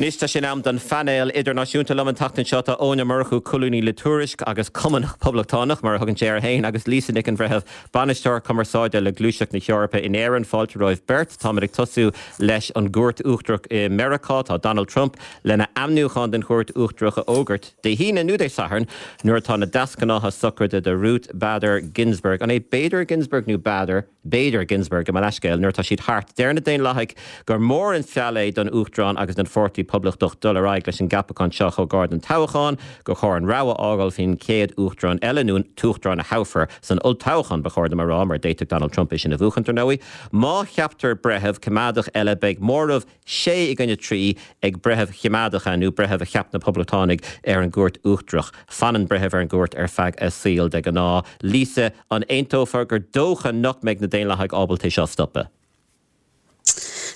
Anois tá sé in am don phainéal idirnáisiúnta. Liom an tseachtain seo tá Eoin Ó Murchú, colúnaí le Tuairisc agus Cumannach Poblachtánach, mar a thugann sé air féin, agus Lisa Nic an Bhreithimh, Bainisteoir Cumarsáide le Gluaiseacht na hEorpa in Éirinn. Fáilte romhaibh beirt. Táimid ag tosú leis an gCúirt Uachtarach i Meiriceá. Tá Donald Trump lena ainmniúchán don Chúirt Uachtarach a fhógairt Dé hAoine nó Dé Sathairn nuair atá na deasghnátha sochraide do Ruth Bader Ginsburg, an é Bader Ginsburg nó Bader? Bader Ginsburg, gabh mo leithscéal, nuair atá siad thart. Deir na Daonlathaigh gur mór an feall é don Uachtarán agus don Pháirtí Poblachtach dul ar aghaidh leis an gceapachán seo chomh gar don toghchán, gur chóir an rogha a fhágáil faoin chéad Uachtarán eile, nó an t-uachtarán a thoghfar san olltoghchán, ba chóir dom a rá, mar d'fhéadfadh Donald Trump é sin a bhuachan, dar ndóigh. Má cheaptar breitheamh coimeádach eile beidh móramh sé i gcoinne trí ag breithimh choimeádacha nó breithimh a cheap na Poblachtánaigh ar an gCúirt Uachtarach. Fanann breitheamh ar an gcúirt ar feadh a saoil de ghnáth. Lisa, an aontófá gur dócha nach mbeidh na Daonlathaigh ábalta é seo a stopadh?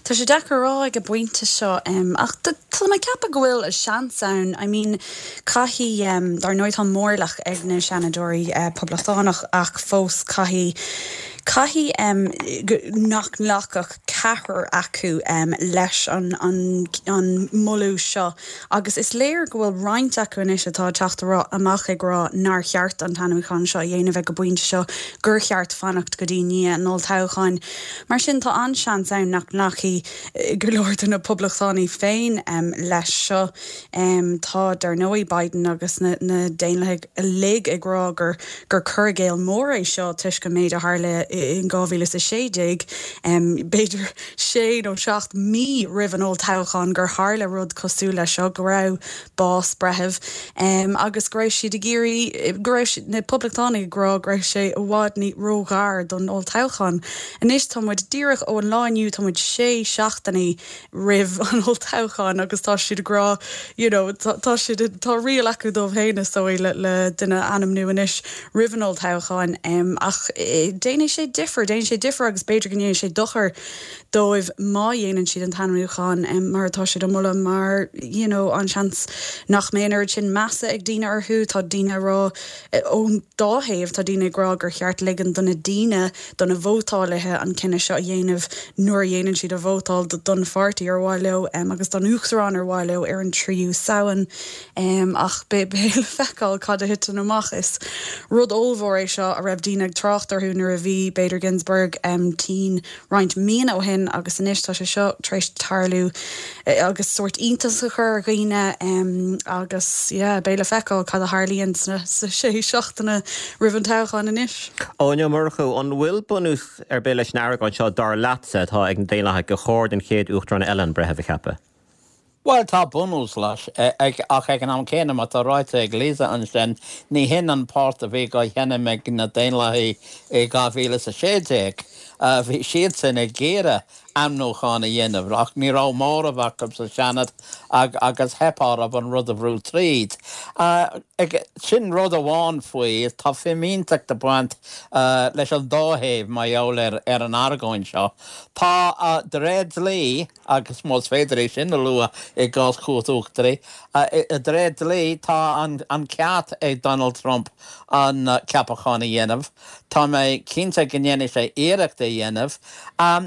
Tá sé deacair a rá ag an bpointe seo ach tá mé ag ceapadh go bhfuil seans ann. I mean caithfidh, dar ndóigh tá mórlach ag na Seanadóirí Poblachtánach ach fós caithfidh Caithfidh nach nglacfadh ceathrar acu leis an an moladh seo agus is léir go bhfuil roinnt acu anois atá ag teacht amach ag rá nár cheart an t-ainmniúchán seo a dhéanamh ag an bpointe seo, gur cheart fanacht go dtí i ndiaidh an olltoghcháin. Mar sin tá an-seans ann nach nglacfaidh go leor de na Poblachtánaigh féin leis seo. Tá, dar ndóigh, Biden agus na Daonlathaigh uilig ag rá gur gur cur i gcéill mór é seo toisc an méid a tharla in dhá mhíle is a sé déag, b'fhéidir sé nó seacht mí roimh an olltoghchán, gur tharla rud cosúil leis seo, go raibh bás breithimh agus go raibh siad ag iarraidh, go raibh na Poblachtánaigh ag rá go raibh sé i bhfad ní róghar don olltoghchán. Anois tá muid díreach ón lá inniu, tá muid sé seachtainí roimh an olltoghchán agus tá siad ag rá, you know, tá siad, tá riail acu dóibh féin is dóigh le, le duine a ainmniú anois roimh an olltoghchán ach déanfaidh sé difear, déanfaidh sé difear agus b'fhéidir go ndéanfaidh sé dochar dóibh má dhéanann siad an t-ainmniúchán mar atá siad á mholadh mar, you know, an seans nach mbeidh an oiread sin measa ag daoine orthu. Tá daoine ag rá ón dá thaobh, tá daoine ag rá gur cheart ligean do na daoine, do na vótálaithe an cinneadh seo a dhéanamh nuair a dhéanann siad a vótáil don pháirtí ar mhaith leo agus don uachtarán ar mhaith leo ar an tríú Samhain. Ach beidh le feiceáil cad a thiteann amach. Is rud ollmhór é seo a raibh daoine ag trácht orthu nuair a bhí Bader Ginsburg tinn roinnt míonna ó shin agus anois tá sé seo tar éis tarlú agus sórt iontas a chur ar dhaoine agus yeah beidh le feiceáil cad a tharlaíonn sna sé seachtaine roimh an toghchán anois. Eoin Ó Murchú, an bhfuil bunús ar bith leis an argóint seo dar leatsa atá ag na Daonlathaigh gur chóir don chéad Uachtarán eile an breitheamh a cheapadh? Bhuel, tá bunús leis, ach ag an am céanna, mar tá ráite ag Lisa ansin, ní hin an port a bhí á sheinm ag na Daonlathaigh i dhá mhíle is a sé déag. Bhí siadsan ag iarraidh ainmniúchán a dhéanamh ach ní raibh móramh acu sa Seanad agus theip orthu an rud a bhrú tríd. Sin rud amháin faoi, tá fimínteacht ag baint leis an dá thaobh mar gheall ar an argóint seo. Tá, de réir dlí, agus más féidir é sin a lua i gcás Chúirt Uachtaraí, de réir dlí tá an ceart ag Donald Trump an ceapachán a dhéanamh. Tá mé cinnte go ndéanfaidh sé iarracht é a dhéanamh.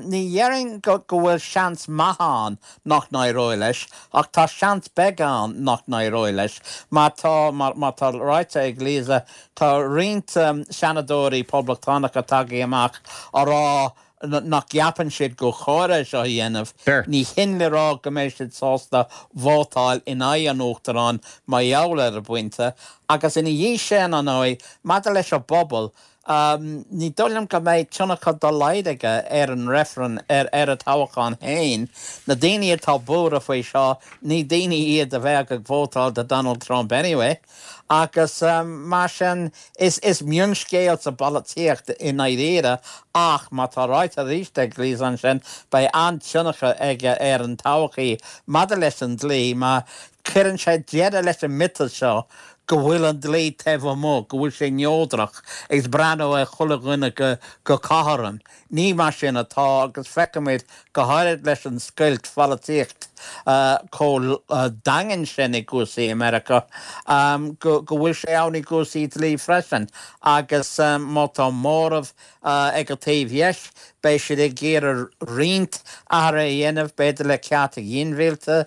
Ní dhéarfainn go bhfuil seans maith ann nach n-éireoidh leis, ach tá seans beag ann nach n-éireoidh leis. Mar tá, mar tá ráite ag Lisa, tá roinnt seanadóirí poblachtánacha tagtha amach á rá nach gceapann siad gur chóir é seo a dhéanamh. Ní hin le rá go mbeidh siad sásta vótáil in aghaidh an Uachtaráin mar gheall ar an bpointe. Agus ina dhiaidh sin, ar ndóigh, maidir leis an bpobal, ní dóigh liom go mbeidh tionchar dá laghad aige ar an reifreann, ar an toghchán féin. Na daoine atá buartha faoi seo, ní daoine iad a bheadh ag vótáil do Donald Trump anyway. Agus mar sin, is mionscéal sa bpolaitíocht i ndáiríre ach mar tá ráite arís ag Lisa ansin, beidh an-tionchar aige ar an todhchaí maidir leis an dlí mar cuireann sé deireadh leis an miotas seo go bhfuil an dlí taobh amuigh, go bhfuil sé neodrach agus breathnú ar chuile dhuine go cothrom. Ní mar sin atá agus feicimid, go háirid leis an scoilt pholaitíocht chomh daingean sin i gcúrsaí i Meiriceá, go bhfuil sé ann i gcúrsaí dlí freisin agus má tá móramh ag an taobh dheis, beidh siad ag iarraidh roinnt athruithe a dhéanamh, b'fhéidir le cearta ginmhillte,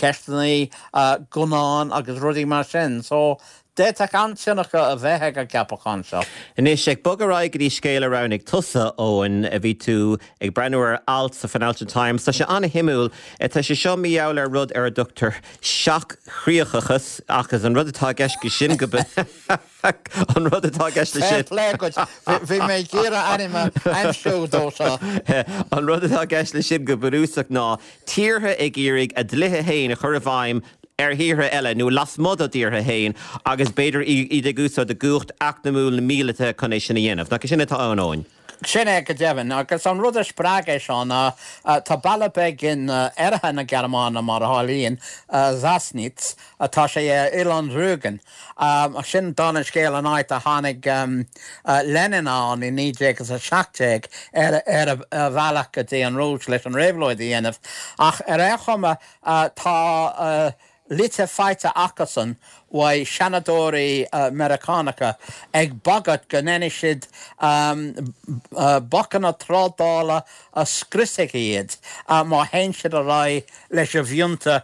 ceisteanna gunnán agus rudaí mar sin. So, d'fhéadfadh an-tionchar a bheith ag an gceapachán seo. Anois, ag bogadh ar aghaidh go dtí scéal a roghnaigh tusa, Eoin, bhí tú ag breathnú ar alt sa Financial Times. Tá sé an-shuimiúil. Tá sé seo mar gheall ar rud ar a dtugtar seach-chríochachas, agus an rud atá i gceist leis sin go An rud atá i gceist leis sin. Fair play duit. Bhí mé ag iarraidh ainm a aimsiú dó seo. An rud atá i gceist leis sin go bunúsach ná tíortha ag iarraidh a dlíthe féin a chur i bhfeidhm ar thíortha eile nó lasmuigh dá dtíortha féin agus b'fhéidir iad ag úsáid a gcumhacht eacnamúil nó míleata chun é sin a dhéanamh. Nach é sin atá ann, Eoin? Sin é go deimhin. Agus an rud a spreag é seo ná tá baile beag in oirthear na Gearmáine, mar a tharlaíonn, Sassnitz, tá sé ar oileán Rügen. Sin dála an scéil an áit a tháinig Lenin ann i naoi déag is a seacht déag ar a bhealach go dtí an Rúis leis an réabhlóid a dhéanamh. Ach ar aon chuma tá litir faighte acusan uaidh Seanadóirí Meiriceánacha ag bagairt go ndéanfaidh siad bacanna trádála a scriosfaidh iad má théann siad ar aghaidh leis an bhfiontar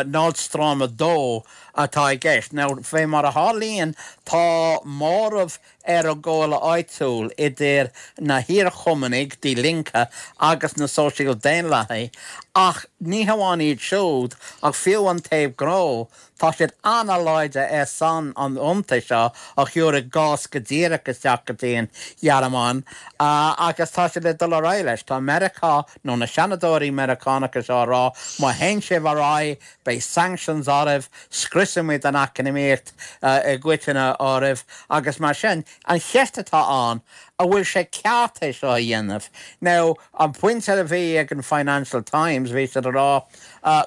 Nord Stream a dó atá i gceist. Now, fé mar a tharlaíonn, tá móramh ar an gcomhairle áitiúil idir na hiar-Chumannaigh, Die Linke, agus na Sóisial Daonlathaigh, ach ní hamháin iad siúd, ach fiú an taobh gnó, tá siad an-láidir ar son an fhiontair seo a thabharfaidh gás go díreach isteach go dtí an Ghearmáin, agus tá siad le dul ar aghaidh leis. Tá Meiriceá, nó na Seanadóirí Meiriceánacha seo á rá, má théann sibh ar aghaidh, beidh sanctions oraibh, scriosfaimid an eacnamaíocht i gcoitinne oraibh, agus mar sin, an cheist atá ann, an bhfuil sé ceart é seo a dhéanamh? Now, an pointe a bhí ag an Financial Times, bhí siad a rá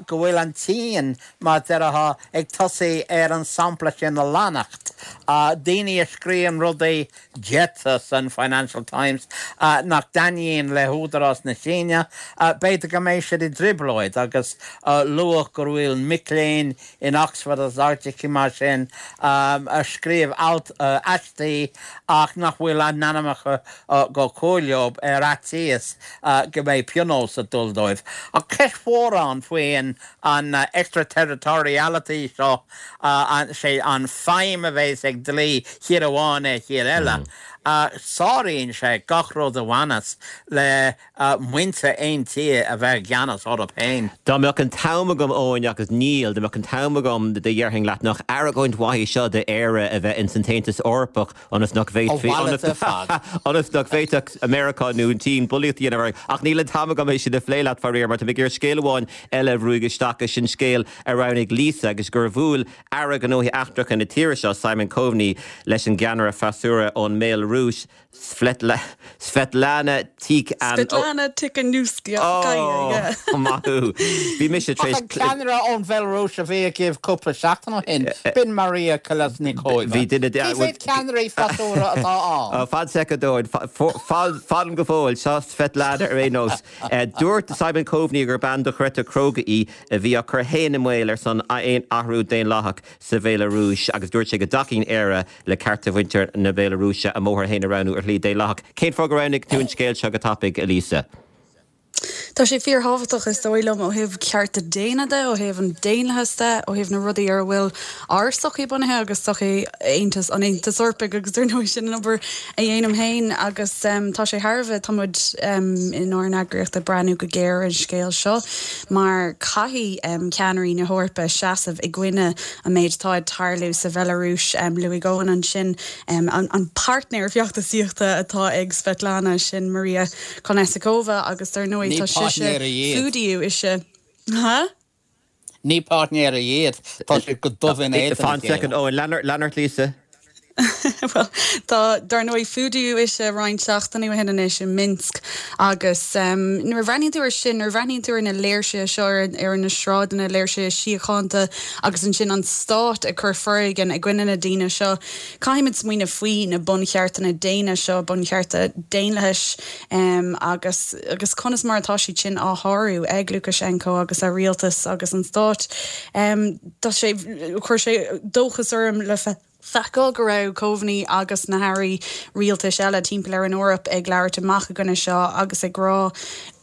go bhfuil an tSín, mar a déarfá, ag tosaí ar an sampla sin a leanacht. Daoine a scríobhann rudaí déarfá san Financial Times nach dtaitníonn le húdarás na Síne, b'fhéidir go mbeidh siad i dtrioblóid agus luadh go bhfuil mic léinn in Oxford agus áiteacha mar sin a scríobh alt, aistí ach nach bhfuil a n-ainmneacha go cur leo ar fhaitíos go mbeidh pionós ag dul dóibh. Ach ceist mhór ann faoin an extraterritoriality seo, sé an feidhm a bheas ag dlí thír amháin ar thír eile. Sáraíonn sé gach rud a bhaineas le muintir aon tír a bheith i gceannas orthu féin. Dá mbeadh an t-am agam, Eoin, agus níl, dá mbeadh an t-am agam déarfainn leat nach argóint mhaith í seo d'Éire a bheith ins an tAontas Eorpach ionas nach bhféadfaí, ionas nach bhféadfadh Meiriceá nó an tSín bulaíocht a dhéanamh orainn. Ach níl an t-am agam é sin a phlé leat, faraor, mar tá mé ag iarraidh scéal amháin eile a bhrúigh isteach, agus sin scéal a roghnaigh Lisa agus gur bhuail Aire Gnóthaí Eachtracha na tíre seo, Simon Coveney, leis an gceannaire freasúra ón mBéalarúis, Svetlana Tikhan. Svetlana Tikhanovskaya, yeah. Oh, maith thú. Bhí mise tar éis. Ach an ceannaire ón Bhelarúis a bhí agaibh cúpla seachtain ó shin, b'in Maria Kolesnikova. Bhí duine de. Cé mhéad ceannairí freasúra atá ann? Fan soicind, Eoin. Fan go fóill. Seo Svetlana ar aon nós. Dúirt Simon Coveney gur bean dochreidte cróga í a bhí á cur féin i mbaol ar son aon athrú daonlathach sa Bhéalarúis agus dúirt sé go dtacaíonn Éire le cearta mhuintir na Béalarúise a mbóthar féin a roghnú ar shlí daonlathach. Cén fáth gur roghnaigh tú an scéal seo go tapaidh, a Lisa? Tá sé fíorthábhachtach, is dóigh liom, ó thaobh cearta daonna de, ó thaobh an daonlathas de, ó thaobh na rudaí ar a bhfuil ár sochaí bunaithe agus sochaí Aontas, an Aontais Eorpaigh agus dar ndóigh sin an obair a dhéanaim féin agus tá sé thar a bheith, tá muid inár n-eagraíocht ag breathnú go géar ar an scéal seo mar caithfidh ceannairí na hEorpa seasamh i gcoinne an méid atá ag tarlú sa Bhealarúis. Luaigh Eoin ansin an páirtnéir feachtasaíochta atá ag Svetlana, sin Maria Kolesnikova agus dar ndóigh tá sise fuadaíodh ise. Ha? Ní páirtnéirí iad, tá siad go dubh in éadan a Fan chéile. soicind, Eoin, lean ort Lisa. Bhuel, tá, dar ndóigh, fuadaíodh ise roinnt seachtainí ó shin anois i Minsk agus nuair a bhreathnaíonn tú air sin, nuair a bhreathnaíonn tú ar na léirsithe seo ar na sráideanna, léirsithe síochánta agus ansin an stát ag cur foréigean i gcoinne na daoine seo, caithfimid smaoineamh faoi na buncheartanna daonna seo, bunchearta daonlathais agus agus conas mar atá siad sin á shárú ag Lukashenko agus a rialtas agus an stát. Tá sé, chuir sé dóchas orm le feiceáil go raibh Coveney agus na hairí rialtais eile timpeall ar an Eoraip ag labhairt amach i gcoinne seo agus ag rá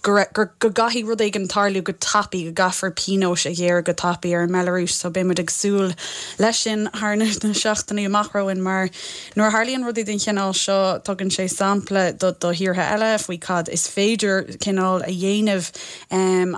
go go gcaithfidh rud éigin tarlú go tapaidh, go gcaithfear pionóis a ghearradh go tapaidh ar an mBealarúis. So beidh muid ag súil leis sin thar na seachtainí amach romhainn mar nuair a tharlaíonn rudaí den chineál seo tugann sé sampla do do thíortha eile faoi cad is féidir cineál a dhéanamh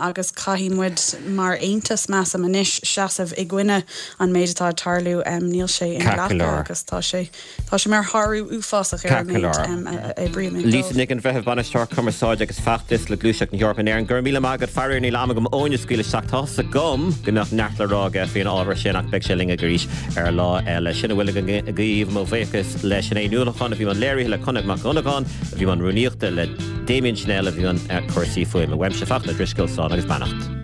agus caithfidh muid mar aontas measaim anois seasamh i gcoinne an méid atá ag tarlú. Níl sé inghlactha agus tá sé tá sé mar shárú uafásach ar an méid a oibrímid dó. Lisa Nic an Bhreithimh, Bainisteoir Cumarsáide agus Feachtais le Gluaiseacht na hEorpa in Éirinn. Go raibh míle maith agat. Faraor níl am agam Eoin a scaoileadh isteach. Tá's agam go mbeadh neart le rá aige faoin ábhar sin ach beidh sé linn arís ar lá eile. Sin a bhfuil againn agaibh. Mo bhuíochas le Sinéad Ní Uallacháin a bhí i mbun léirithe, le Conall Mac Dhonnagáin a bhí i mbun rúnaíochta, le Damien Schnell a bhí i mbun cúrsaí fuaime. Uaimse Fachtna Ó Drisceoil, slán agus beannacht.